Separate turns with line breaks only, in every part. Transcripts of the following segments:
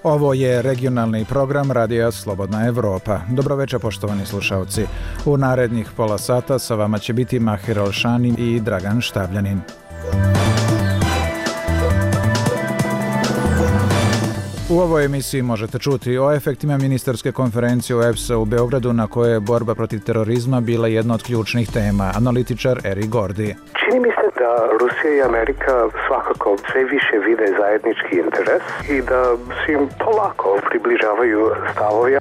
Ovo je regionalni program Radija Slobodna Evropa. Dobroveče, poštovani slušalci. U narednih pola sata sa vama će biti Mahir Alšani i Dragan Štavljanin. U ovoj emisiji možete čuti o efektima ministarske konferencije OEBS-a u Beogradu na kojoj je borba protiv terorizma bila jedna od ključnih tema, analitičar Eri Gordi.
Čini mi se da Rusija i Amerika svakako sve više vide zajednički interes i da se im polako približavaju stavovi.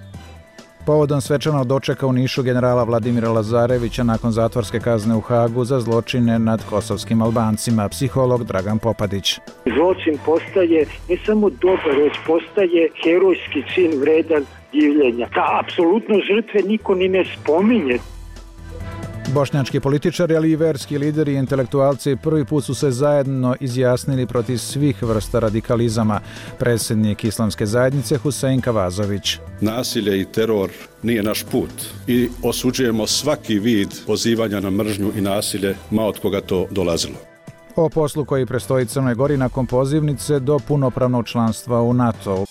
Povodom svečanog dočeka u Nišu generala Vladimira Lazarevića nakon zatvorske kazne u Hagu za zločine nad kosovskim Albancima, psiholog Dragan Popadić.
Zločin postaje ne samo dobar, već postaje herojski čin vredan divljenja. Da, apsolutno žrtve niko ni ne spominje.
Bošnjački političari, ali i verski lideri i intelektualci prvi put su se zajedno izjasnili protiv svih vrsta radikalizama. Predsjednik Islamske zajednice Husein Kavazović.
Nasilje i teror nije naš put i osuđujemo svaki vid pozivanja na mržnju i nasilje, ma od koga to dolazilo.
O poslu koji predstoji Crnoj Gori nakon pozivnice do punopravnog članstva u NATO.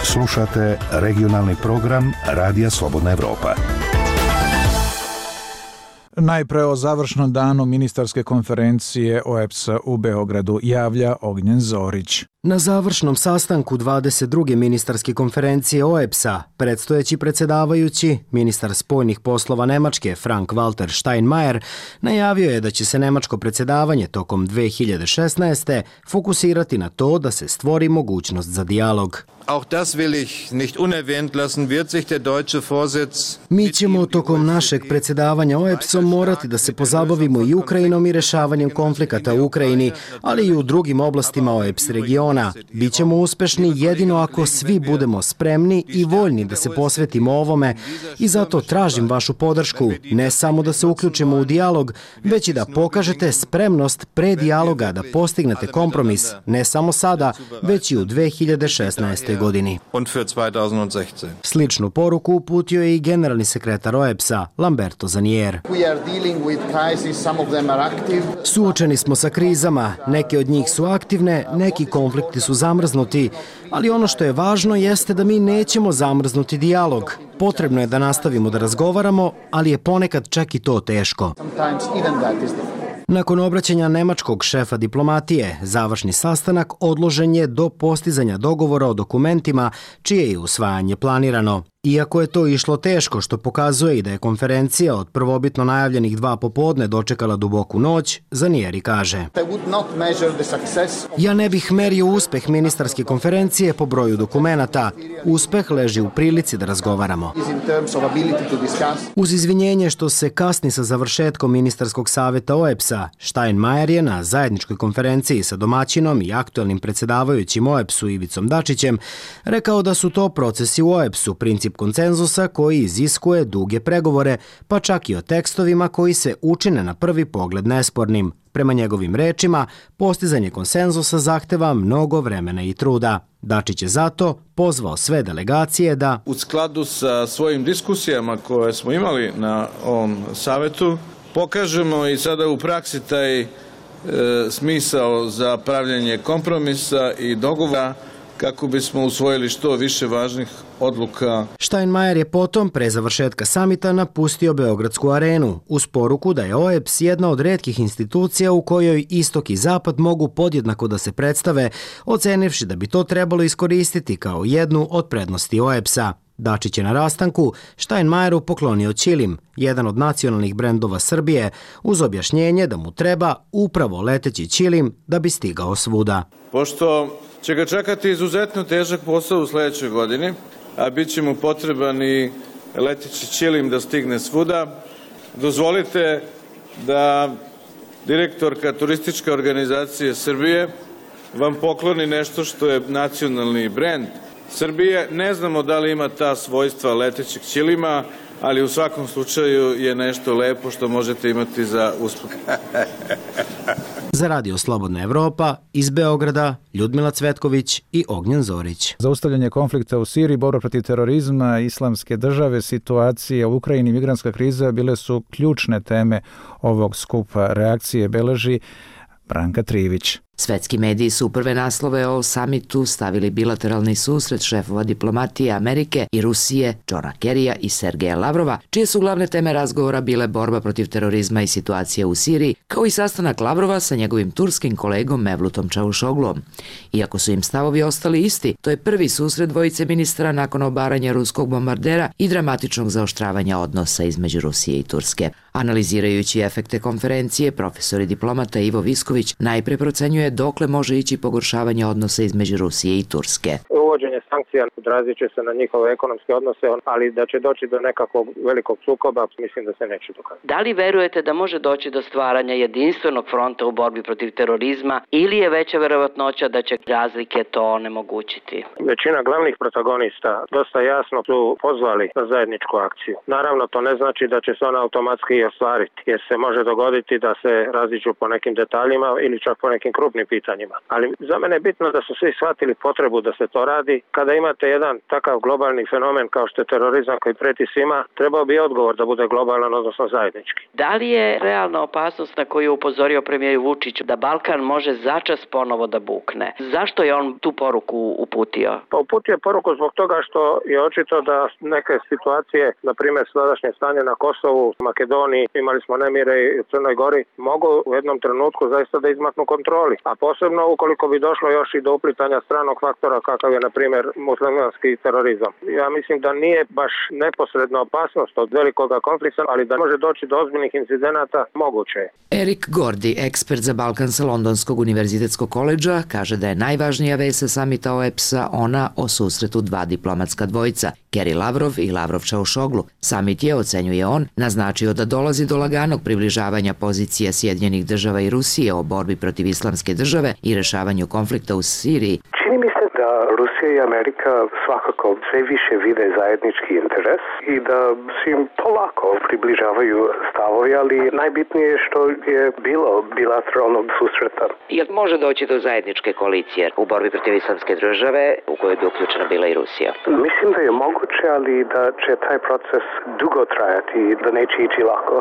Slušate regionalni program Radija Slobodna Evropa.
Najpre o završnom danu ministarske konferencije OEBS-a u Beogradu javlja Ognjen Zorić.
Na završnom sastanku 22. ministarske konferencije OEBS-a predstojeći predsjedavajući, ministar spoljnih poslova Nemačke Frank-Walter Steinmeier, najavio je da će se nemačko predsjedavanje tokom 2016. fokusirati na to da se stvori mogućnost za dijalog.
Auch das will ich nicht unerwähnt lassen, wird sich der deutsche Vorsitz...
Mi ćemo tokom našeg predsjedavanja OEBS-om morati da se pozabavimo i Ukrajinom i rješavanjem konflikata u Ukrajini, ali i u drugim oblastima OEBS regiona. Bićemo uspešni jedino ako svi budemo spremni i voljni da se posvetimo ovome i zato tražim vašu podršku, ne samo da se uključimo u dijalog, već i da pokažete spremnost pre dijaloga da postignete kompromis, ne samo sada, već i u 2016. godini. Sličnu poruku uputio je i generalni sekretar OEBS-a Lamberto Zanier. Suočeni smo sa krizama, neke od njih su aktivne, neki konflikti su zamrznuti, ali ono što je važno jeste da mi nećemo zamrznuti dijalog. Potrebno je da nastavimo da razgovaramo, ali je ponekad čak i to teško. Nakon obraćanja nemačkog šefa diplomatije, završni sastanak odložen je do postizanja dogovora o dokumentima čije je usvajanje planirano. Iako je to išlo teško, što pokazuje i da je konferencija od prvobitno najavljenih 2 popodne dočekala duboku noć, Zanieri kaže: Ja ne bih merio uspeh ministarske konferencije po broju dokumenata. Uspeh leži u prilici da razgovaramo. Uz izvinjenje što se kasni sa završetkom ministarskog savjeta OEBS-a, Steinmeier je na zajedničkoj konferenciji sa domaćinom i aktuelnim predsjedavajućim OEBS-u Ivicom Dačićem rekao da su to procesi u OEBS-u, princip konsenzusa koji iziskuje duge pregovore, pa čak i o tekstovima koji se učine na prvi pogled nespornim. Prema njegovim rečima, postizanje konsenzusa zahteva mnogo vremena i truda. Dačić je zato pozvao sve delegacije da
u skladu sa svojim diskusijama koje smo imali na ovom savetu pokažemo i sada u praksi taj smisao za pravljenje kompromisa i dogovora kako bismo usvojili što više važnih odluka.
Steinmeier je potom, pre završetka samita, napustio Beogradsku arenu, uz poruku da je OEBS jedna od retkih institucija u kojoj istok i zapad mogu podjednako da se predstave, ocenivši da bi to trebalo iskoristiti kao jednu od prednosti OEBS-a. Dačić je na rastanku Steinmeieru poklonio ćilim, jedan od nacionalnih brendova Srbije, uz objašnjenje da mu treba upravo leteći ćilim da bi stigao svuda.
Pošto će ga čekati izuzetno težak posao u sljedećoj godini, a bit će mu potreban i leteći ćilim da stigne svuda, dozvolite da direktorka Turističke organizacije Srbije vam pokloni nešto što je nacionalni brend Srbije. Ne znamo da li ima ta svojstva letećeg ćilima, ali u svakom slučaju je nešto lepo što možete imati za uspeh.
Za Radio Slobodna Evropa, iz Beograda, Ljudmila Cvetković i Ognjen Zorić.
Zaustavljanje konflikta u Siriji, borba protiv terorizma, islamske države, situacija u Ukrajini i migrantska kriza bile su ključne teme ovog skupa. Reakcije beleži Branka Trivić.
Svetski mediji su u prve naslove o samitu stavili bilateralni susret šefova diplomatije Amerike i Rusije, Johna Kerrya i Sergeja Lavrova, čije su glavne teme razgovora bile borba protiv terorizma i situacija u Siriji, kao i sastanak Lavrova sa njegovim turskim kolegom Mevlutom Čavuşoglom. Iako su im stavovi ostali isti, to je prvi susret dvojice ministara nakon obaranja ruskog bombardera i dramatičnog zaoštravanja odnosa između Rusije i Turske. Analizirajući efekte konferencije, profesor i diplomata Ivo Visković najpre procenjuje dokle može ići pogoršavanje odnosa između Rusije i Turske.
Uvođenje sankcija odrazit će se na njihove ekonomske odnose, ali da će doći do nekakvog velikog sukoba, mislim da se neće dokazati.
Da li verujete da može doći do stvaranja jedinstvenog fronta u borbi protiv terorizma ili je veća verovatnoća da će razlike to onemogućiti?
Većina glavnih protagonista dosta jasno su pozvali na zajedničku akciju. Naravno, to ne znači da će se ona automatski i ostvariti, jer se može dogoditi da se raziđu po nekim detaljima ili čak po nekim krupnim pitanjima. Ali za mene je bitno da su svi shvatili potrebu da se to radi. Kada imate jedan takav globalni fenomen kao što je terorizam koji preti svima, trebao bi odgovor da bude globalan, odnosno zajednički.
Da li je realna opasnost na koju je upozorio premijer Vučić da Balkan može začas ponovo da bukne? Zašto je on tu poruku uputio?
Pa uputio je poruku zbog toga što je očito da neke situacije, na primjer sadašnje stanje na Kosovu, Makedoniji, imali smo nemire i u Crnoj Gori, mogu u jednom trenutku zaista da izmaknu kontroli. A posebno ukoliko bi došlo još i do uplitanja stranog faktora kakav je, na primjer, muslimanski terorizam. Ja mislim da nije baš neposredna opasnost od velikoga konflikta, ali da može doći do ozbiljnih incidenata, moguće je.
Erik Gordi, ekspert za Balkan sa Londonskog univerzitetskog koledža, kaže da je najvažnija vest sa samita OEBS-a ona o susretu dva diplomatska dvojica, Kerry Lavrov i Lavrov Čavuşoglu. Samit je, ocenjuje on, naznačio da dolazi do laganog približavanja pozicija Sjedinjenih država i Rusije o borbi protiv islamske države i rešavanju konflikta u Siriji.
Čini mi se da Rusija i Amerika svakako sve više vide zajednički interes i da se im polako približavaju stavovi, ali najbitnije je što je bilo bilateralnog susreta.
Jel može doći do zajedničke koalicije u borbi protiv islamske države u kojoj bi uključena bila i Rusija?
Mislim da je moguće, ali da će taj proces dugo trajati i da neće ići lako.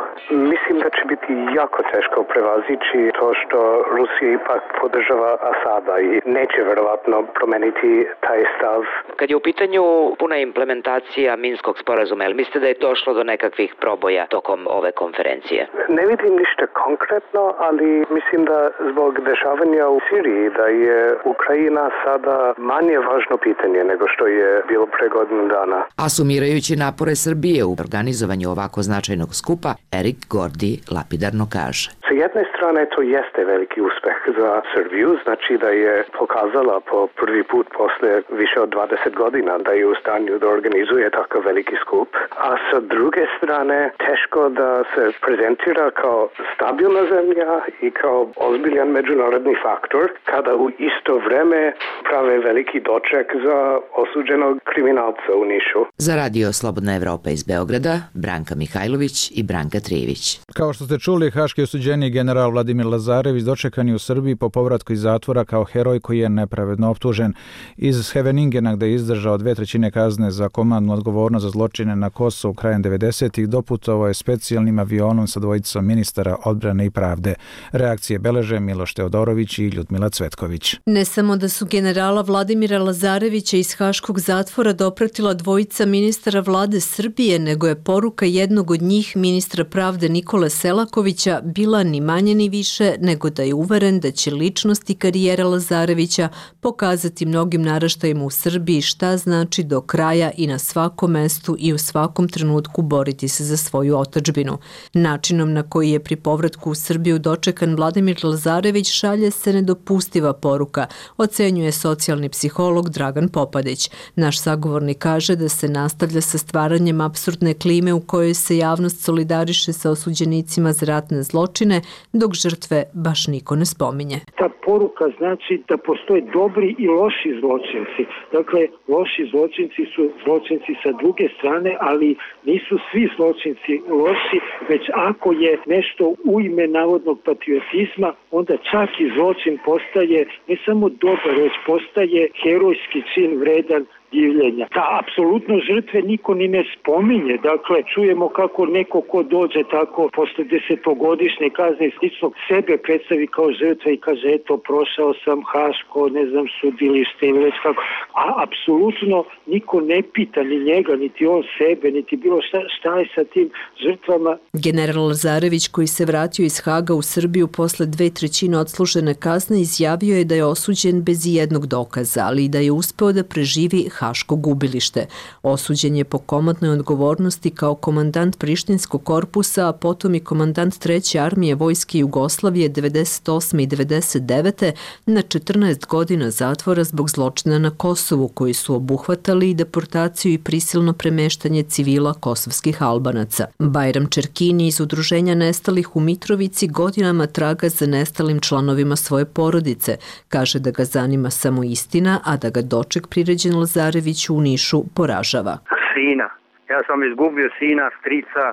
Mislim da će biti jako teško prevazići to što Rusija ipak podržava Asada i neće verovatno promeniti taj stav.
Kad je u pitanju puna implementacija Minskog sporazuma, jel mislite da je došlo do nekakvih proboja tokom ove konferencije?
Ne vidim ništa konkretno, ali mislim da zbog dešavanja u Siriji da je Ukrajina sada manje važno pitanje nego što je bilo pre godinu dana.
A sumirajući napore Srbije u organizovanju ovako značajnog skupa, Erik Gordi lapidarno kaže.
Sa jedne strane to jeste veliki uspeh za Srbiju, znači da je pokazala po prvi put posle više od 20 godina da je u stanju da organizuje takav veliki skup, a sa druge strane teško da se prezentira kao stabilna zemlja i kao ozbiljan međunarodni faktor kada u isto vreme prave veliki doček za osuđenog kriminalca u Nišu.
Za Radio Slobodna Evropa iz Beograda, Branka Mihajlović i Branka Trijević.
Kao što ste čuli, haški osuđeni general Vladimir Lazarević dočekan je u Srbiji po povratku iz zatvora kao heroj koji je nepravedno optužen. Iz Heveningena, gde je izdržao 2/3 kazne za komandnu odgovornost za zločine na Kosovu krajem 90-ih, doputovao je specijalnim avionom sa dvojicom ministara odbrane i pravde. Reakcije beleže Miloš Teodorović i Ljudmila Cvetković.
Ne samo da su generala Vladimira Lazarevića iz haškog zatvora dopratila dvojica ministara vlade Srbije, nego je poruka jednog od njih, ministra pravde Nikole Selakovića, bila ni manje ni više nego da je uveren da će ličnost i karijera Lazarevića pokazati mnogim naraštajima u Srbiji šta znači do kraja i na svakom mestu i u svakom trenutku boriti se za svoju otadžbinu. Načinom na koji je pri povratku u Srbiju dočekan Vladimir Lazarević šalje se nedopustiva poruka, ocenjuje socijalni psiholog Dragan Popadić. Naš sagovornik kaže da se nastavlja sa stvaranjem apsurdne klime u kojoj se javnost solidariše sa osuđenicima za ratne zločine, dok žrtve baš niko ne spominje.
Ta poruka znači da postoje dobri i loši zločinci. Dakle, loši zločinci su zločinci sa druge strane, ali nisu svi zločinci loši, već ako je nešto u ime navodnog patriotizma, onda čak i zločin postaje ne samo dobar, već postaje herojski čin vredan divljenja. Da, apsolutno žrtve niko ni ne spominje. Dakle, čujemo kako neko ko dođe tako posle 10-godišnje kazne i slično sebe predstavi kao žrtva i kaže eto prošao sam Haško, ne znam, sudilište ili već kako. A apsolutno niko ne pita ni njega, niti on sebe, niti bilo šta je sa tim žrtvama.
General Lazarević, koji se vratio iz Haga u Srbiju posle 2/3 odslužene kazne, izjavio je da je osuđen bez ijednog dokaza, ali i da je uspeo da preživi Haško gubilište. Osuđen je po komandnoj odgovornosti kao komandant Prištinskog korpusa, a potom i komandant 3. armije Vojske Jugoslavije 98. i 99. na 14 godina zatvora zbog zločina na Kosovu, koji su obuhvatali i deportaciju i prisilno premeštanje civila kosovskih Albanaca. Bajram Čerkini iz Udruženja nestalih u Mitrovici godinama traga za nestalim članovima svoje porodice. Kaže da ga zanima samo istina, a da ga doček priređen Lazareviću u Nišu poražava.
Sina. Ja sam izgubio sina, strica,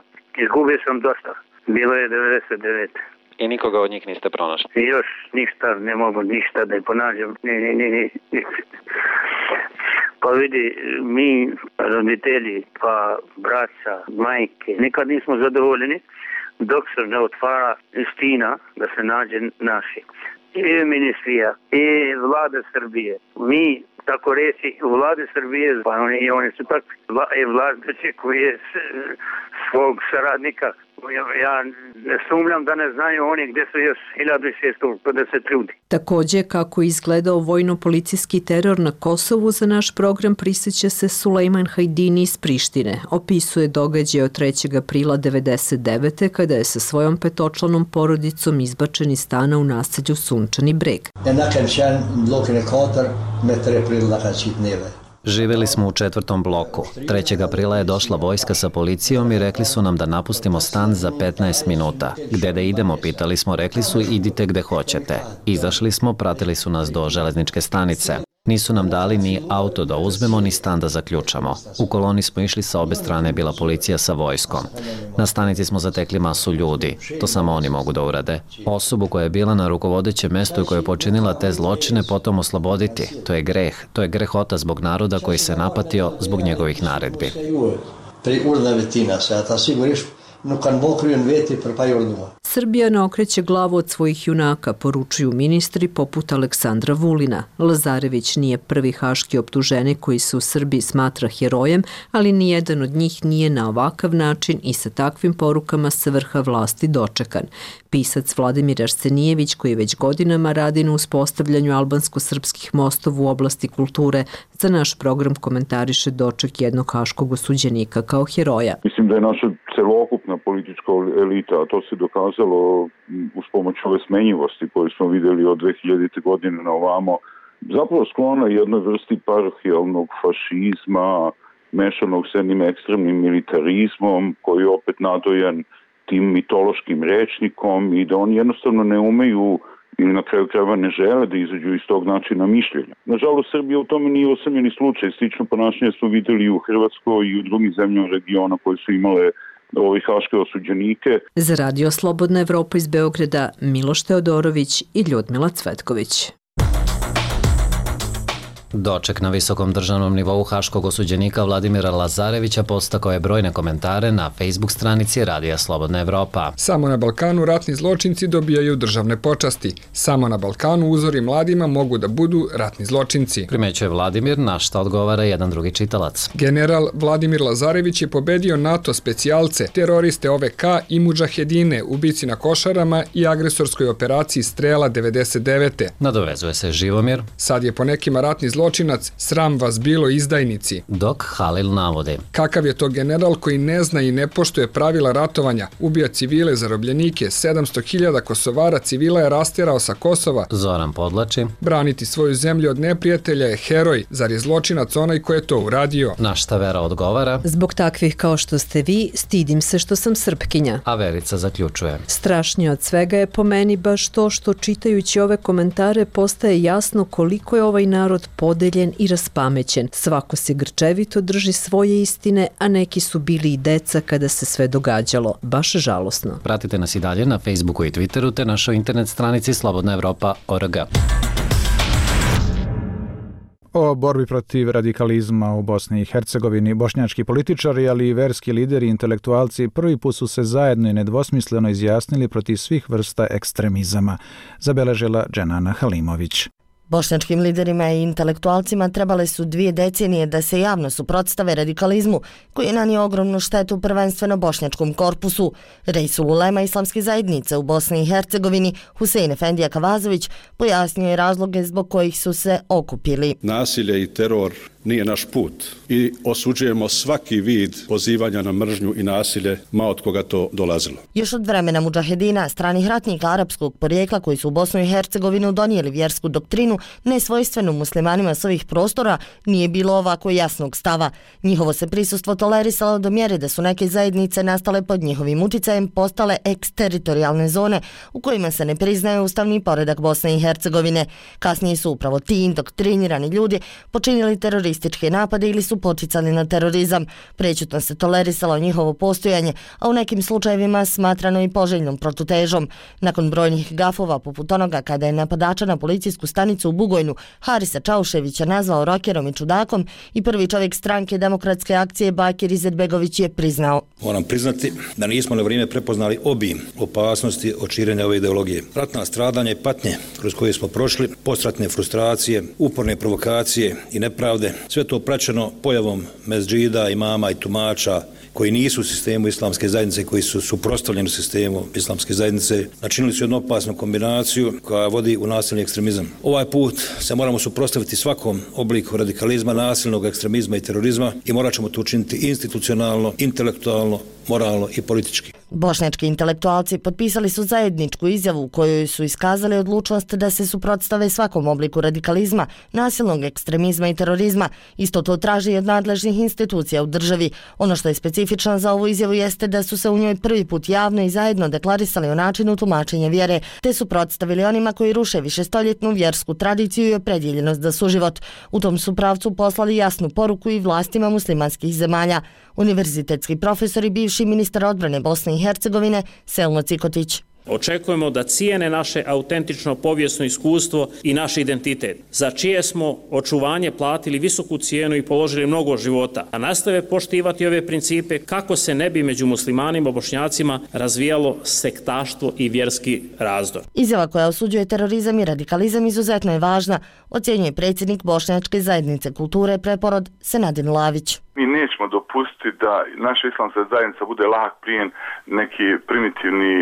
izgubio sam dosta. Bilo je 99.
I nikoga od njih niste pronašli?
Još ništa, ne mogu ništa da je ponađam. Ne. Pa vidi, mi roditelji, pa braća, majke, nikad nismo zadovoljeni dok se ne otvara istina da se nađe naši. I ministrija, i vlada Srbije. Mi, tako reći, u vlade Srbije, pa oni su tak vladajući koji je svog saradnika. Ja ne sumnjam da ne znaju oni gdje su još 1650 ljudi.
Takođe, kako je izgledao vojno-policijski teror na Kosovu, za naš program prisjeća se Sulejman Hajdini iz Prištine. Opisuje događaj od 3. aprila 99. kada je sa svojom petočlanom porodicom izbačen iz stana u naselju Sunčani Breg.
Živjeli smo u 4. bloku. 3. aprila je došla vojska sa policijom i rekli su nam da napustimo stan za 15 minuta. Gde da idemo, pitali smo, rekli su idite gde hoćete. Izašli smo, pratili su nas do železničke stanice. Nisu nam dali ni auto da uzmemo, ni stan da zaključamo. U koloni smo išli, sa obe strane bila policija sa vojskom. Na stanici smo zatekli masu ljudi. To samo oni mogu da urade. Osobu koja je bila na rukovodećem mestu i koja je počinila te zločine potom osloboditi. To je greh. To je grehota zbog naroda koji se napatio zbog njegovih naredbi.
Srbija ne okreće glavu od svojih junaka, poručuju ministri poput Aleksandra Vulina. Lazarević nije prvi haški optuženik koji se u Srbiji smatra herojem, ali nijedan od njih nije na ovakav način i sa takvim porukama sa vrha vlasti dočekan. Pisac Vladimir Arsenijević, koji već godinama radi na uspostavljanju albansko-srpskih mostova u oblasti kulture, za naš program komentariše doček jednog haškog osuđenika kao heroja.
Mislim da je naša celokupna politička elita, a to se dokazalo uz pomoć ove smenjivosti koju smo videli od 2000. godine na ovamo, zapravo sklona jednoj vrsti parohijalnog fašizma, mešanog s jednim ekstremnim militarizmom, koji je opet nadojan tim mitološkim rečnikom i da oni jednostavno ne umeju ili na kraju krajeva ne žele da izađu iz tog načina mišljenja. Nažalost, Srbija u tome nije osamljeni slučaj. Slično ponašanje smo videli i u Hrvatskoj i u drugim zemljama regiona koje su imale haške osuđenike.
Za Radio Slobodna Evropa iz Beograda, Miloš Teodorović i Ljudmila Cvetković.
Doček na visokom državnom nivou haškog osuđenika Vladimira Lazarevića postakao je brojne komentare na Facebook stranici Radija Slobodna Evropa.
Samo na Balkanu ratni zločinci dobijaju državne počasti. Samo na Balkanu uzori mladima mogu da budu ratni zločinci.
Primećuje Vladimir, na šta odgovara jedan drugi čitalac.
General Vladimir Lazarević je pobedio NATO specijalce, teroriste OVK i mudžahedine, ubici na Košarama i agresorskoj operaciji Strela 99.
Nadovezuje se Živomir.
Sad je po nekima ratni zločinac, sram vas bilo izdajnici.
Dok Halil navodi.
Kakav je to general koji ne zna i ne poštuje pravila ratovanja, ubija civile, zarobljenike, 700.000 Kosovara civila je rasterao sa Kosova.
Zoran podlači.
Braniti svoju zemlju od neprijatelja je heroj, zar je zločinac onaj ko je to uradio?
Na šta Vera odgovara.
Zbog takvih kao što ste vi, stidim se što sam Srpkinja.
A Verica zaključuje.
Strašnije od svega je po meni baš to što čitajući ove komentare postaje jasno koliko je ovaj narod podeljen i raspamećen. Svako se grčevito drži svoje istine, a neki su bili i deca kada se sve događalo. Baš žalosno.
Pratite nas i dalje na Facebooku i Twitteru te našoj internet stranici slobodnaevropa.org.
O borbi protiv radikalizma u Bosni i Hercegovini bošnjački političari, ali i verski lideri i intelektualci prvi put su se zajedno i nedvosmisleno izjasnili protiv svih vrsta ekstremizama, zabeležila Dženana Halimović.
Bošnjačkim liderima i intelektualcima trebale su 2 decenije da se javno suprotstave radikalizmu, koji je nanio ogromnu štetu prvenstveno bošnjačkom korpusu. Reisul ulema islamske zajednice u Bosni i Hercegovini, Husein Efendija Kavazović, pojasnio je razloge zbog kojih su se okupili.
Nasilje i teror nije naš put i osuđujemo svaki vid pozivanja na mržnju i nasilje, ma od koga to dolazilo.
Još od vremena mudžahedina, stranih ratnika arapskog porijekla koji su u Bosnu i Hercegovinu donijeli vjersku doktrinu nesvojstvenu muslimanima s ovih prostora, nije bilo ovako jasnog stava. Njihovo se prisustvo tolerisalo do mjere da su neke zajednice nastale pod njihovim uticajem postale eksteritorijalne zone u kojima se ne priznaje ustavni poredak Bosne i Hercegovine. Kasnije su upravo ti indoktrinirani ljudi počinili terorističke napade ili su poticali na terorizam. Prećutno se tolerisalo njihovo postojanje, a u nekim slučajevima smatrano i poželjnom protutežom. Nakon brojnih gafova poput onoga kada je napadača na policijsku stanicu u Bugojnu Harisa Čauševića nazvao rokerom i čudakom i prvi čovjek stranke Demokratske akcije Bakir Izetbegović je priznao.
Moram priznati da nismo na vrijeme prepoznali obim opasnosti od širenja ove ideologije. Ratna stradanja i patnje kroz koje smo prošli, postratne frustracije, uporne provokacije i nepravde, sve to praćeno pojavom mezđida, imama i tumača koji nisu u sistemu islamske zajednice, koji su suprotstavljeni sistemu islamske zajednice, načinili su jednu opasnu kombinaciju koja vodi u nasilni ekstremizam. Ovaj put se moramo suprotstaviti svakom obliku radikalizma, nasilnog ekstremizma i terorizma i morat ćemo to učiniti institucionalno, intelektualno, moralno i politički.
Bošnjački intelektualci potpisali su zajedničku izjavu u kojoj su iskazali odlučnost da se suprotstave svakom obliku radikalizma, nasilnog ekstremizma i terorizma. Isto to traži od nadležnih institucija u državi. Ono što je specifično za ovu izjavu jeste da su se u njoj prvi put javno i zajedno deklarisali o načinu tumačenja vjere, te suprotstavili onima koji ruše višestoljetnu vjersku tradiciju i opredjeljenost za suživot. U tom su pravcu poslali jasnu poruku i vlastima muslimanskih zemalja. Univerzitetski profesor i bivši ministar odbrane Bosne i Hercegovine Selmo Cikotić.
Očekujemo da cijene naše autentično povijesno iskustvo i naš identitet, za čije smo očuvanje platili visoku cijenu i položili mnogo života, a nastave poštivati ove principe kako se ne bi među muslimanima i bošnjacima razvijalo sektaštvo i vjerski razdor.
Izjava koja osuđuje terorizam i radikalizam izuzetno je važna, ocjenjuje predsjednik Bošnjačke zajednice kulture Preporod Senadin Lavić.
Mi nećemo dopustiti da naša islamska zajednica bude lak plijen neki primitivni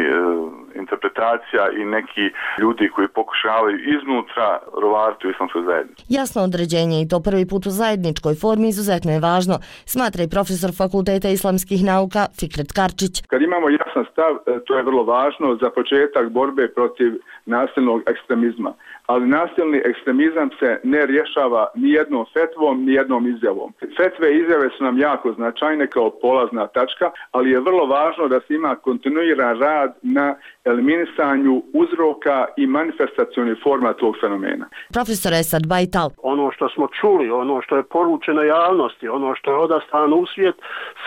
interpretacija i neki ljudi koji pokušavaju iznutra rovariti u islamskoj zajednici.
Jasno određenje i to prvi put u zajedničkoj formi izuzetno je važno, smatra i profesor Fakulteta islamskih nauka Fikret Karčić.
Kad imamo jasan stav, to je vrlo važno za početak borbe protiv nasilnog ekstremizma. Ali nasilni ekstremizam se ne rješava ni jednom fetvom, ni jednom izjavom. Fetve i izjave su nam jako značajne kao polazna tačka, ali je vrlo važno da se ima kontinuiran rad na eliminisanju uzroka i manifestacionih forma tog fenomena.
Profesor Esad Bajtal.
Ono što smo čuli, ono što je poručeno javnosti, ono što je odaslano u svijet,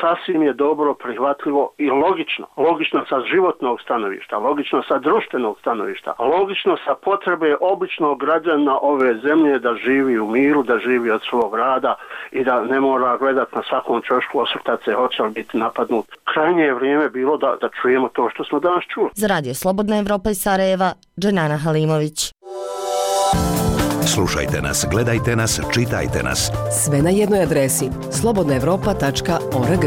sasvim je dobro, prihvatljivo i logično. Logično sa životnog stanovišta, logično sa društvenog stanovišta, logično sa potrebe običnog građana ove zemlje da živi u miru, da živi od svog rada i da ne mora gledati na svakom čošku, osvrtati se hoće li biti napadnut. Krajnje je vrijeme bilo da čujemo to što smo danas čuli.
Za Radio Slobodna Evropa iz Sarajeva, Dženana Halimović.
Slušajte nas, gledajte nas, čitajte nas.
Sve na jednoj adresi slobodnaevropa.org.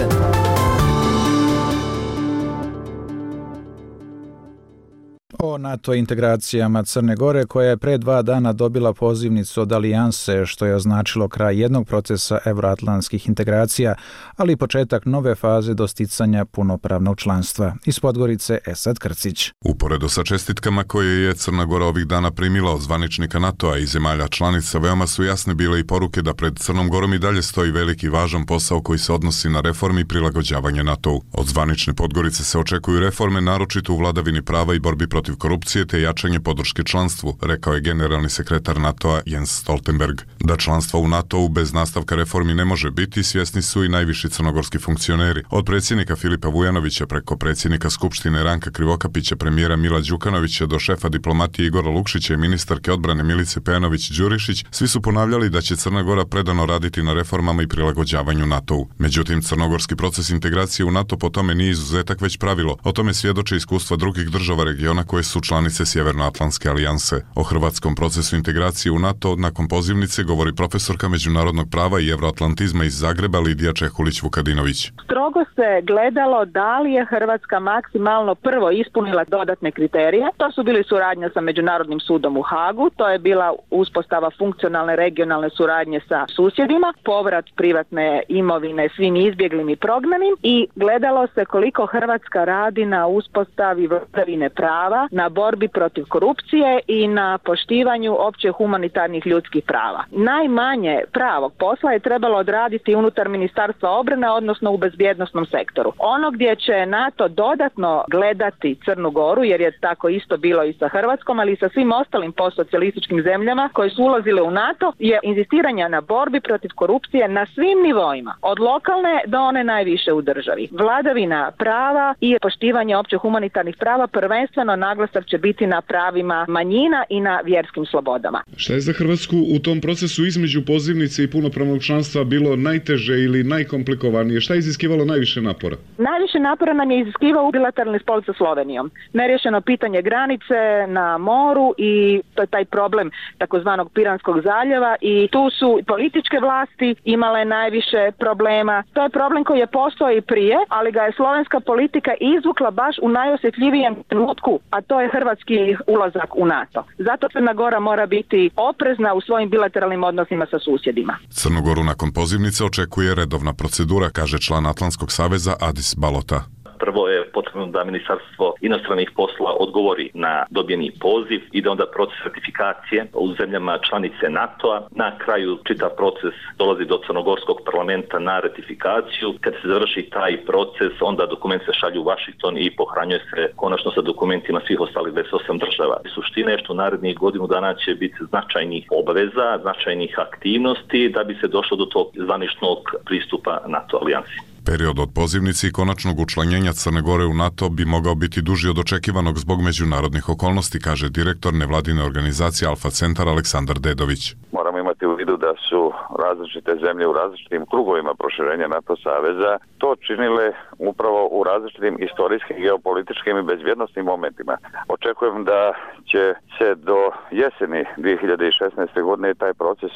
O NATO integracijama Crne Gore, koja je pre 2 dana dobila pozivnicu od Alijanse, što je označilo kraj jednog procesa evroatlantskih integracija, ali i početak nove faze dosticanja punopravnog članstva. Iz Podgorice Esad Krcić.
Uporedo sa čestitkama koje je Crna Gora ovih dana primila od zvaničnika NATO-a i zemalja članica, veoma su jasne bile i poruke da pred Crnom Gorom i dalje stoji veliki važan posao koji se odnosi na reformi i prilagođavanje NATO-u. Od zvanične Podgorice se očekuju reforme, naročito u vladavini prava i borbi protiv protiv korupcije te jačanje podrške članstvu, rekao je generalni sekretar NATO-a Jens Stoltenberg. Da članstvo u NATO-u bez nastavka reformi ne može biti, svjesni su i najviši crnogorski funkcioneri. Od predsjednika Filipa Vujanovića preko predsjednika Skupštine Ranka Krivokapića, premijera Mila Đukanovića do šefa diplomatije Igora Lukšića i ministarke odbrane Milice Pejanović-Đurišić, svi su ponavljali da će Crna Gora predano raditi na reformama i prilagođavanju NATO-u. Međutim, crnogorski proces integracije u NATO po tome nije izuzetak već pravilo. O tome svjedoče iskustva drugih država regiona koje su članice Sjevernoatlantske alijanse. O hrvatskom procesu integracije u NATO nakon pozivnice govori profesorka međunarodnog prava i evroatlantizma iz Zagreba Lidija Čehulić-Vukadinović.
Strogo se gledalo da li je Hrvatska maksimalno prvo ispunila dodatne kriterije. To su bili suradnja sa Međunarodnim sudom u Hagu, to je bila uspostava funkcionalne regionalne suradnje sa susjedima, povrat privatne imovine svim izbjeglim i prognanim i gledalo se koliko Hrvatska radi na uspostavi vladavine prava, na borbi protiv korupcije i na poštivanju opće humanitarnih ljudskih prava. Najmanje pravog posla je trebalo odraditi unutar Ministarstva obrane, odnosno u bezbjednosnom sektoru. Ono gdje će NATO dodatno gledati Crnu Goru, jer je tako isto bilo i sa Hrvatskom, ali i sa svim ostalim postsocijalističkim zemljama koje su ulazile u NATO, je inzistiranje na borbi protiv korupcije na svim nivoima, od lokalne do one najviše u državi. Vladavina prava i poštivanje opće humanitarnih prava, prvenstveno naglasak će biti na pravima manjina i na vjerskim slobodama.
Šta je za Hrvatsku u tom procesu između pozivnice i punopravnog članstva bilo najteže ili najkomplikovanije? Šta je iziskivalo najviše napora?
Najviše napora nam je iziskivao bilateralni spor sa Slovenijom. Nerješeno pitanje granice na moru i to je taj problem takozvanog Piranskog zaljeva i tu su političke vlasti imale najviše problema. To je problem koji je postojao i prije, ali ga je slovenska politika izvukla baš u najosjetljivijem trenutku, a to je hrvatski ulazak u NATO. Zato Crna Gora mora biti oprezna u svojim bilateralnim odnosima sa susjedima.
Crnu Goru nakon pozivnice očekuje redovna procedura, kaže član Atlantskog saveza Adis Balota.
Prvo je potrebno da Ministarstvo inostranih poslova odgovori na dobijeni poziv i da onda proces ratifikacije u zemljama članice NATO-a. Na kraju čitav proces dolazi do crnogorskog parlamenta na ratifikaciju. Kad se završi taj proces, onda dokument se šalju u Washington i pohranjuje se konačno sa dokumentima svih ostalih 28 država. Suština je što narednih godinu dana će biti značajnih obaveza, značajnih aktivnosti da bi se došlo do tog zvaničnog pristupa NATO alijansi.
Period od pozivnice i konačnog učlanjenja Crne Gore u NATO bi mogao biti duži od očekivanog zbog međunarodnih okolnosti, kaže direktor nevladine organizacije Alfa Centar Aleksandar Dedović.
Moramo imati u vidu da su različite zemlje u različitim krugovima proširenja NATO saveza to činile upravo u različitim istorijskim, geopolitičkim i bezbjednosnim momentima. Očekujem da će se do jeseni 2016. godine taj proces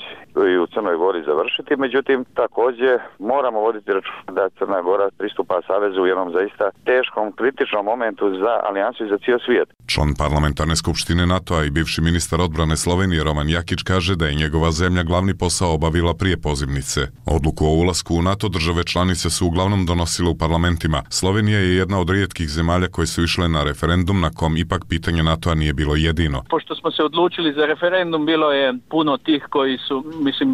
i u Crnoj Gori završiti, međutim također moramo voditi računa da Crna Gora pristupa savezu u jednom zaista teškom, kritičnom momentu za alijansu i za cijel svijet.
Član parlamentarne skupštine NATO-a i bivši ministar odbrane Slovenije Roman Jakić kaže da je njegova zemlja glavni posao obavila prije pozivnice. Odluku o ulasku u NATO države članice su uglavnom donosile u parlamentima. Slovenija je jedna od rijetkih zemalja koje su išle na referendum na kom ipak pitanje NATO-a nije bilo jedino.
Pošto smo se odlučili za referendum, bilo je puno tih koji su,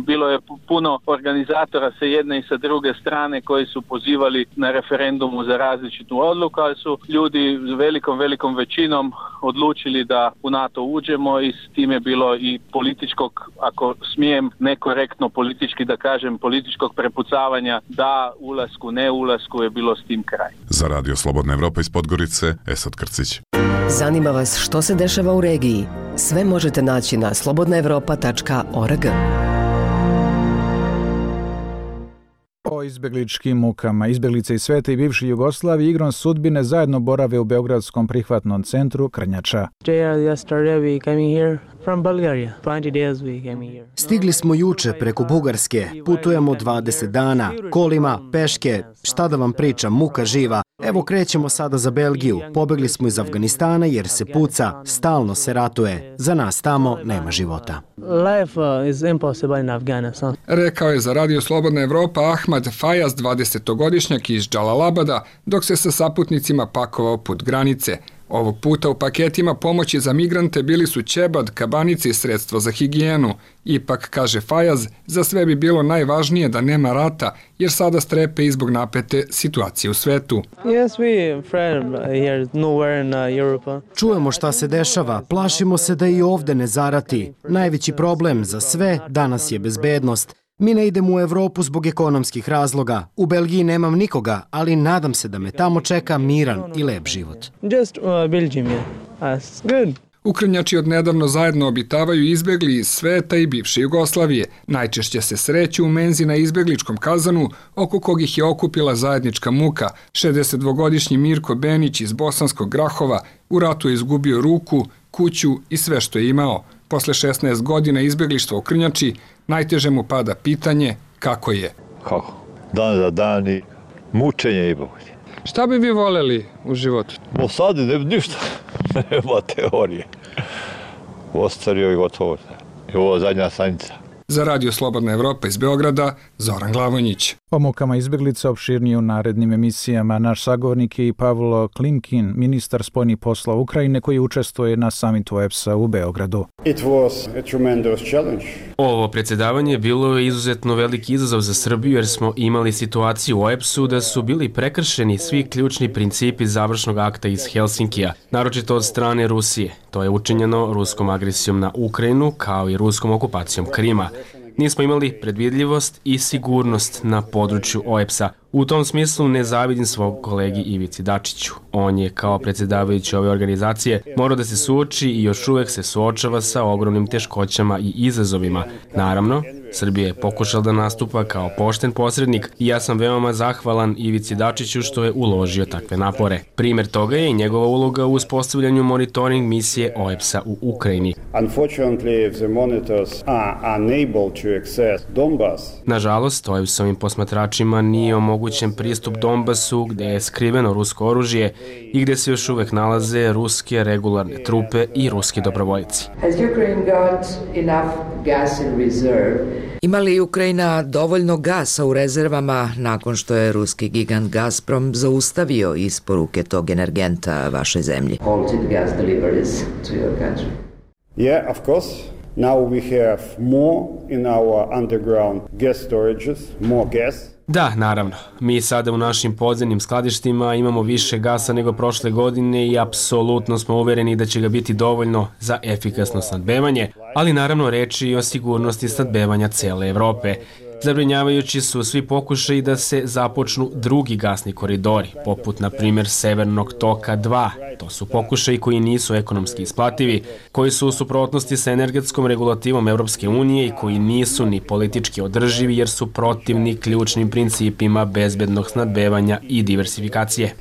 bilo je puno organizatora sa jedne i sa druge strane koji su pozivali na referendumu za različitu odluku, ali su ljudi velikom većinom odlučili da u NATO uđemo i s tim je bilo i političkog, ako smijem nekorektno politički da kažem, političkog prepucavanja da ulasku, ne ulasku je bilo s tim kraj.
Za Radio Slobodna Evropa iz Podgorice, Esad Krcić.
Zanima vas što se dešava u regiji? Sve možete naći na slobodnaevropa.org.
O izbjegličkim mukama. Izbjeglice iz sveta i bivše Jugoslavije igrom sudbine zajedno borave u beogradskom prihvatnom centru Krnjača.
Stigli smo juče preko Bugarske, putujemo 20 dana, kolima, peške, šta da vam pričam, muka živa. Evo krećemo sada za Belgiju, pobegli smo iz Afganistana jer se puca, stalno se ratuje, za nas tamo nema života.
Rekao je za Radio Slobodna Evropa Ahmad Fajaz, 20-godišnjak iz Džalalabada, dok se sa saputnicima pakovao put granice. Ovog puta u paketima pomoći za migrante bili su ćebad, kabanice i sredstvo za higijenu. Ipak, kaže Fajaz, za sve bi bilo najvažnije da nema rata, jer sada strepe i zbog napete situacije u svetu.
Čujemo šta se dešava, plašimo se da i ovde ne zarati. Najveći problem za sve danas je bezbednost. Mi ne idemo u Evropu zbog ekonomskih razloga. U Belgiji nemam nikoga, ali nadam se da me tamo čeka miran i lep život.
Ukrnjači odnedavno zajedno obitavaju izbegli iz sveta i bivše Jugoslavije. Najčešće se sreću u menzi na izbegličkom kazanu, oko kog ih je okupila zajednička muka. 62-godišnji Mirko Benić iz Bosanskog Grahova u ratu je izgubio ruku, kuću i sve što je imao. Posle 16 godina izbeglištva u Krnjači, najteže mu pada pitanje kako je.
Kako? Dan za dan i mučenje i bolje.
Šta bi vi voljeli u životu?
Sad ništa, nema teorije. Ostario i gotovo. I ovo zadnja stanica.
Za Radio Slobodna Evropa iz Beograda, Zoran Glavonjić.
O mukama izbjeglica opširnije u narednim emisijama. Naš sagovornik je i Pavlo Klimkin, ministar spoljnih poslova Ukrajine, koji učestvuje na samitu OEBS-a u Beogradu.
Ovo predsjedavanje bilo je izuzetno veliki izazov za Srbiju, jer smo imali situaciju u OEBS-u da su bili prekršeni svi ključni principi završnog akta iz Helsinkija, naročito od strane Rusije. To je učinjeno ruskom agresijom na Ukrajinu, kao i ruskom okupacijom Krima. Nismo imali predvidljivost i sigurnost na području OEBS-a. U tom smislu ne zavidim svog kolegi Ivici Dačiću. On je kao predsjedavajući ove organizacije morao da se suoči i još uvek se suočava sa ogromnim teškoćama i izazovima. Naravno, Srbija je pokušala da nastupa kao pošten posrednik i ja sam veoma zahvalan Ivici Dačiću što je uložio takve napore. Primjer toga je i njegova uloga u uspostavljanju monitoring misije OEBS-a u Ukrajini. Nažalost, OEBS-ovim posmatračima nije omogućen pristup Donbasu, gde je skriveno rusko oružje i gde se još uvek nalaze ruske regularne trupe i ruski dobrovoljci.
Ima li Ukrajina dovoljno gasa u rezervama nakon što je ruski gigant Gazprom zaustavio isporuke tog energenta vašoj zemlji?
Yeah, of course. Now we have more in our underground gas storages, more gas.
Da, naravno. Mi sada u našim podzemnim skladištima imamo više gasa nego prošle godine i apsolutno smo uvereni da će ga biti dovoljno za efikasno snadbevanje, ali naravno reč je i o sigurnosti snadbevanja cele Evrope. Zabrinjavajući su svi pokušaji da se započnu drugi gasni koridori, poput na primjer Severnog toka 2. To su pokušaji koji nisu ekonomski isplativi, koji su u suprotnosti sa energetskom regulativom Evropske unije i koji nisu ni politički održivi jer su protivni ključnim principima bezbednog snadbevanja i diversifikacije.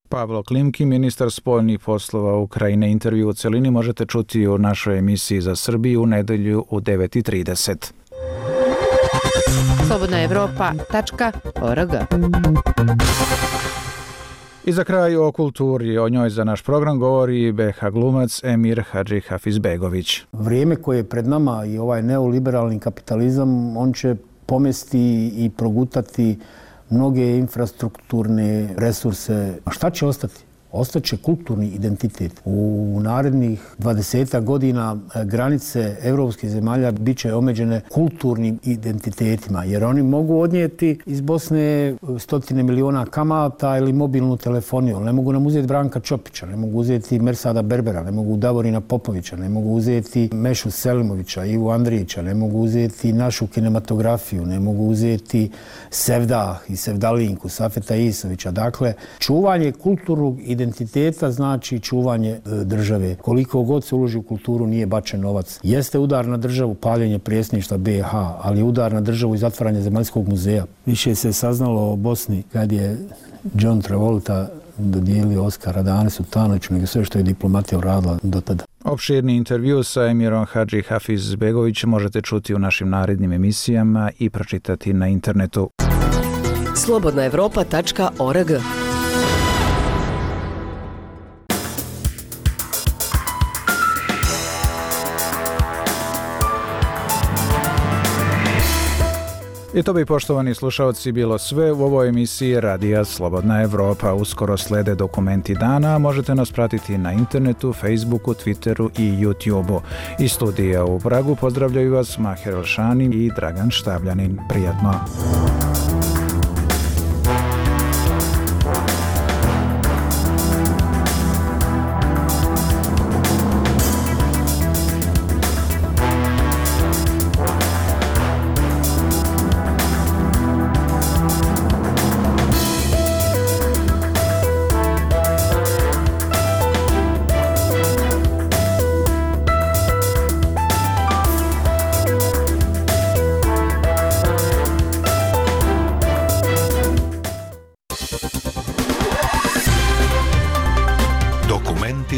Pavlo Klimkin, ministar spoljnih poslova Ukrajine. Intervju u celini možete čuti u našoj emisiji za Srbiju u nedelju u 9:30.
slobodnaevropa.org.
I za kraj o kulturi, o njoj za naš program govori BH glumac Emir Hadži Hafizbegović.
Vrijeme koje je pred nama i ovaj neoliberalni kapitalizam, on će pomesti i progutati mnoge infrastrukturne resurse. A šta će ostati? Ostaće kulturni identitet. U narednih 20 godina granice evropskih zemalja bit će omeđene kulturnim identitetima, jer oni mogu odnijeti iz Bosne 100 miliona kamata ili mobilnu telefoniju. Ne mogu nam uzeti Branka Čopića, ne mogu uzeti Mersada Berbera, ne mogu Davorina Popovića, ne mogu uzeti Mešu Selimovića, Ivu Andrijića, ne mogu uzeti našu kinematografiju, ne mogu uzeti Sevdah i Sevdalinku, Safeta Isovića. Dakle, čuvanje kulturnog identiteta znači čuvanje države. Koliko god se uloži u kulturu nije bačen novac. Jeste udar na državu paljenje predsjedništva BiH, ali je udar na državu i zatvaranje Zemaljskog muzeja. Više se saznalo o Bosni kad je John Travolta dodijelio Oskara Dane Sutanoviću nego sve što je diplomatija uradila do tada.
Opširni intervju sa Emirom Hadži Hafizbegovićem možete čuti u našim narednim emisijama i pročitati na internetu.
slobodnaevropa.org.
I to bi, poštovani slušalci, bilo sve u ovoj emisiji Radija Slobodna Evropa. Uskoro slede dokumenti dana, možete nas pratiti na internetu, Facebooku, Twitteru i YouTubeu. Iz studija u Pragu pozdravljaju vas Maher Elšani i Dragan Štavljanin. Prijatno!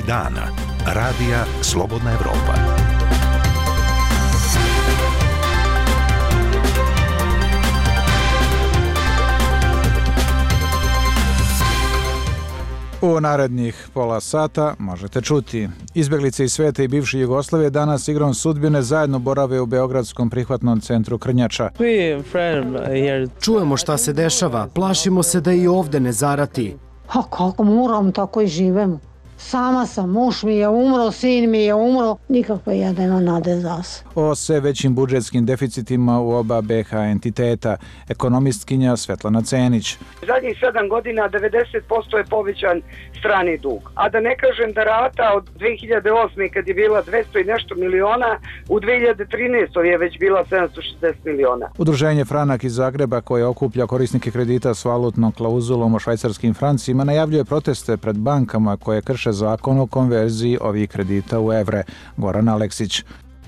Dana. Radija Slobodna Evropa.
U narednih pola sata možete čuti. Izbjeglice iz sveta i bivše Jugoslavije danas igrom sudbine zajedno borave u Beogradskom prihvatnom centru Krnjača.
Čujemo šta se dešava, plašimo se da i ovde ne zarati.
A kako moram, tako i živemo. Sama sam, muž mi je umro, sin mi je umro, nikako ja nema nade za se.
O sve većim budžetskim deficitima u oba BH entiteta, ekonomistkinja Svetlana Cenić.
Zadnjih 7 godina 90% je povećan strani dug. A da ne kažem da rata od 2008. kad je bila 200 i nešto miliona, u 2013. je već bila 760 miliona.
Udruženje Franak iz Zagreba, koje okuplja korisnike kredita s valutnom klauzulom o švajcarskim francima, najavljuje proteste pred bankama koje krše zakon o konverziji ovih kredita u evre. Goran Aleksić.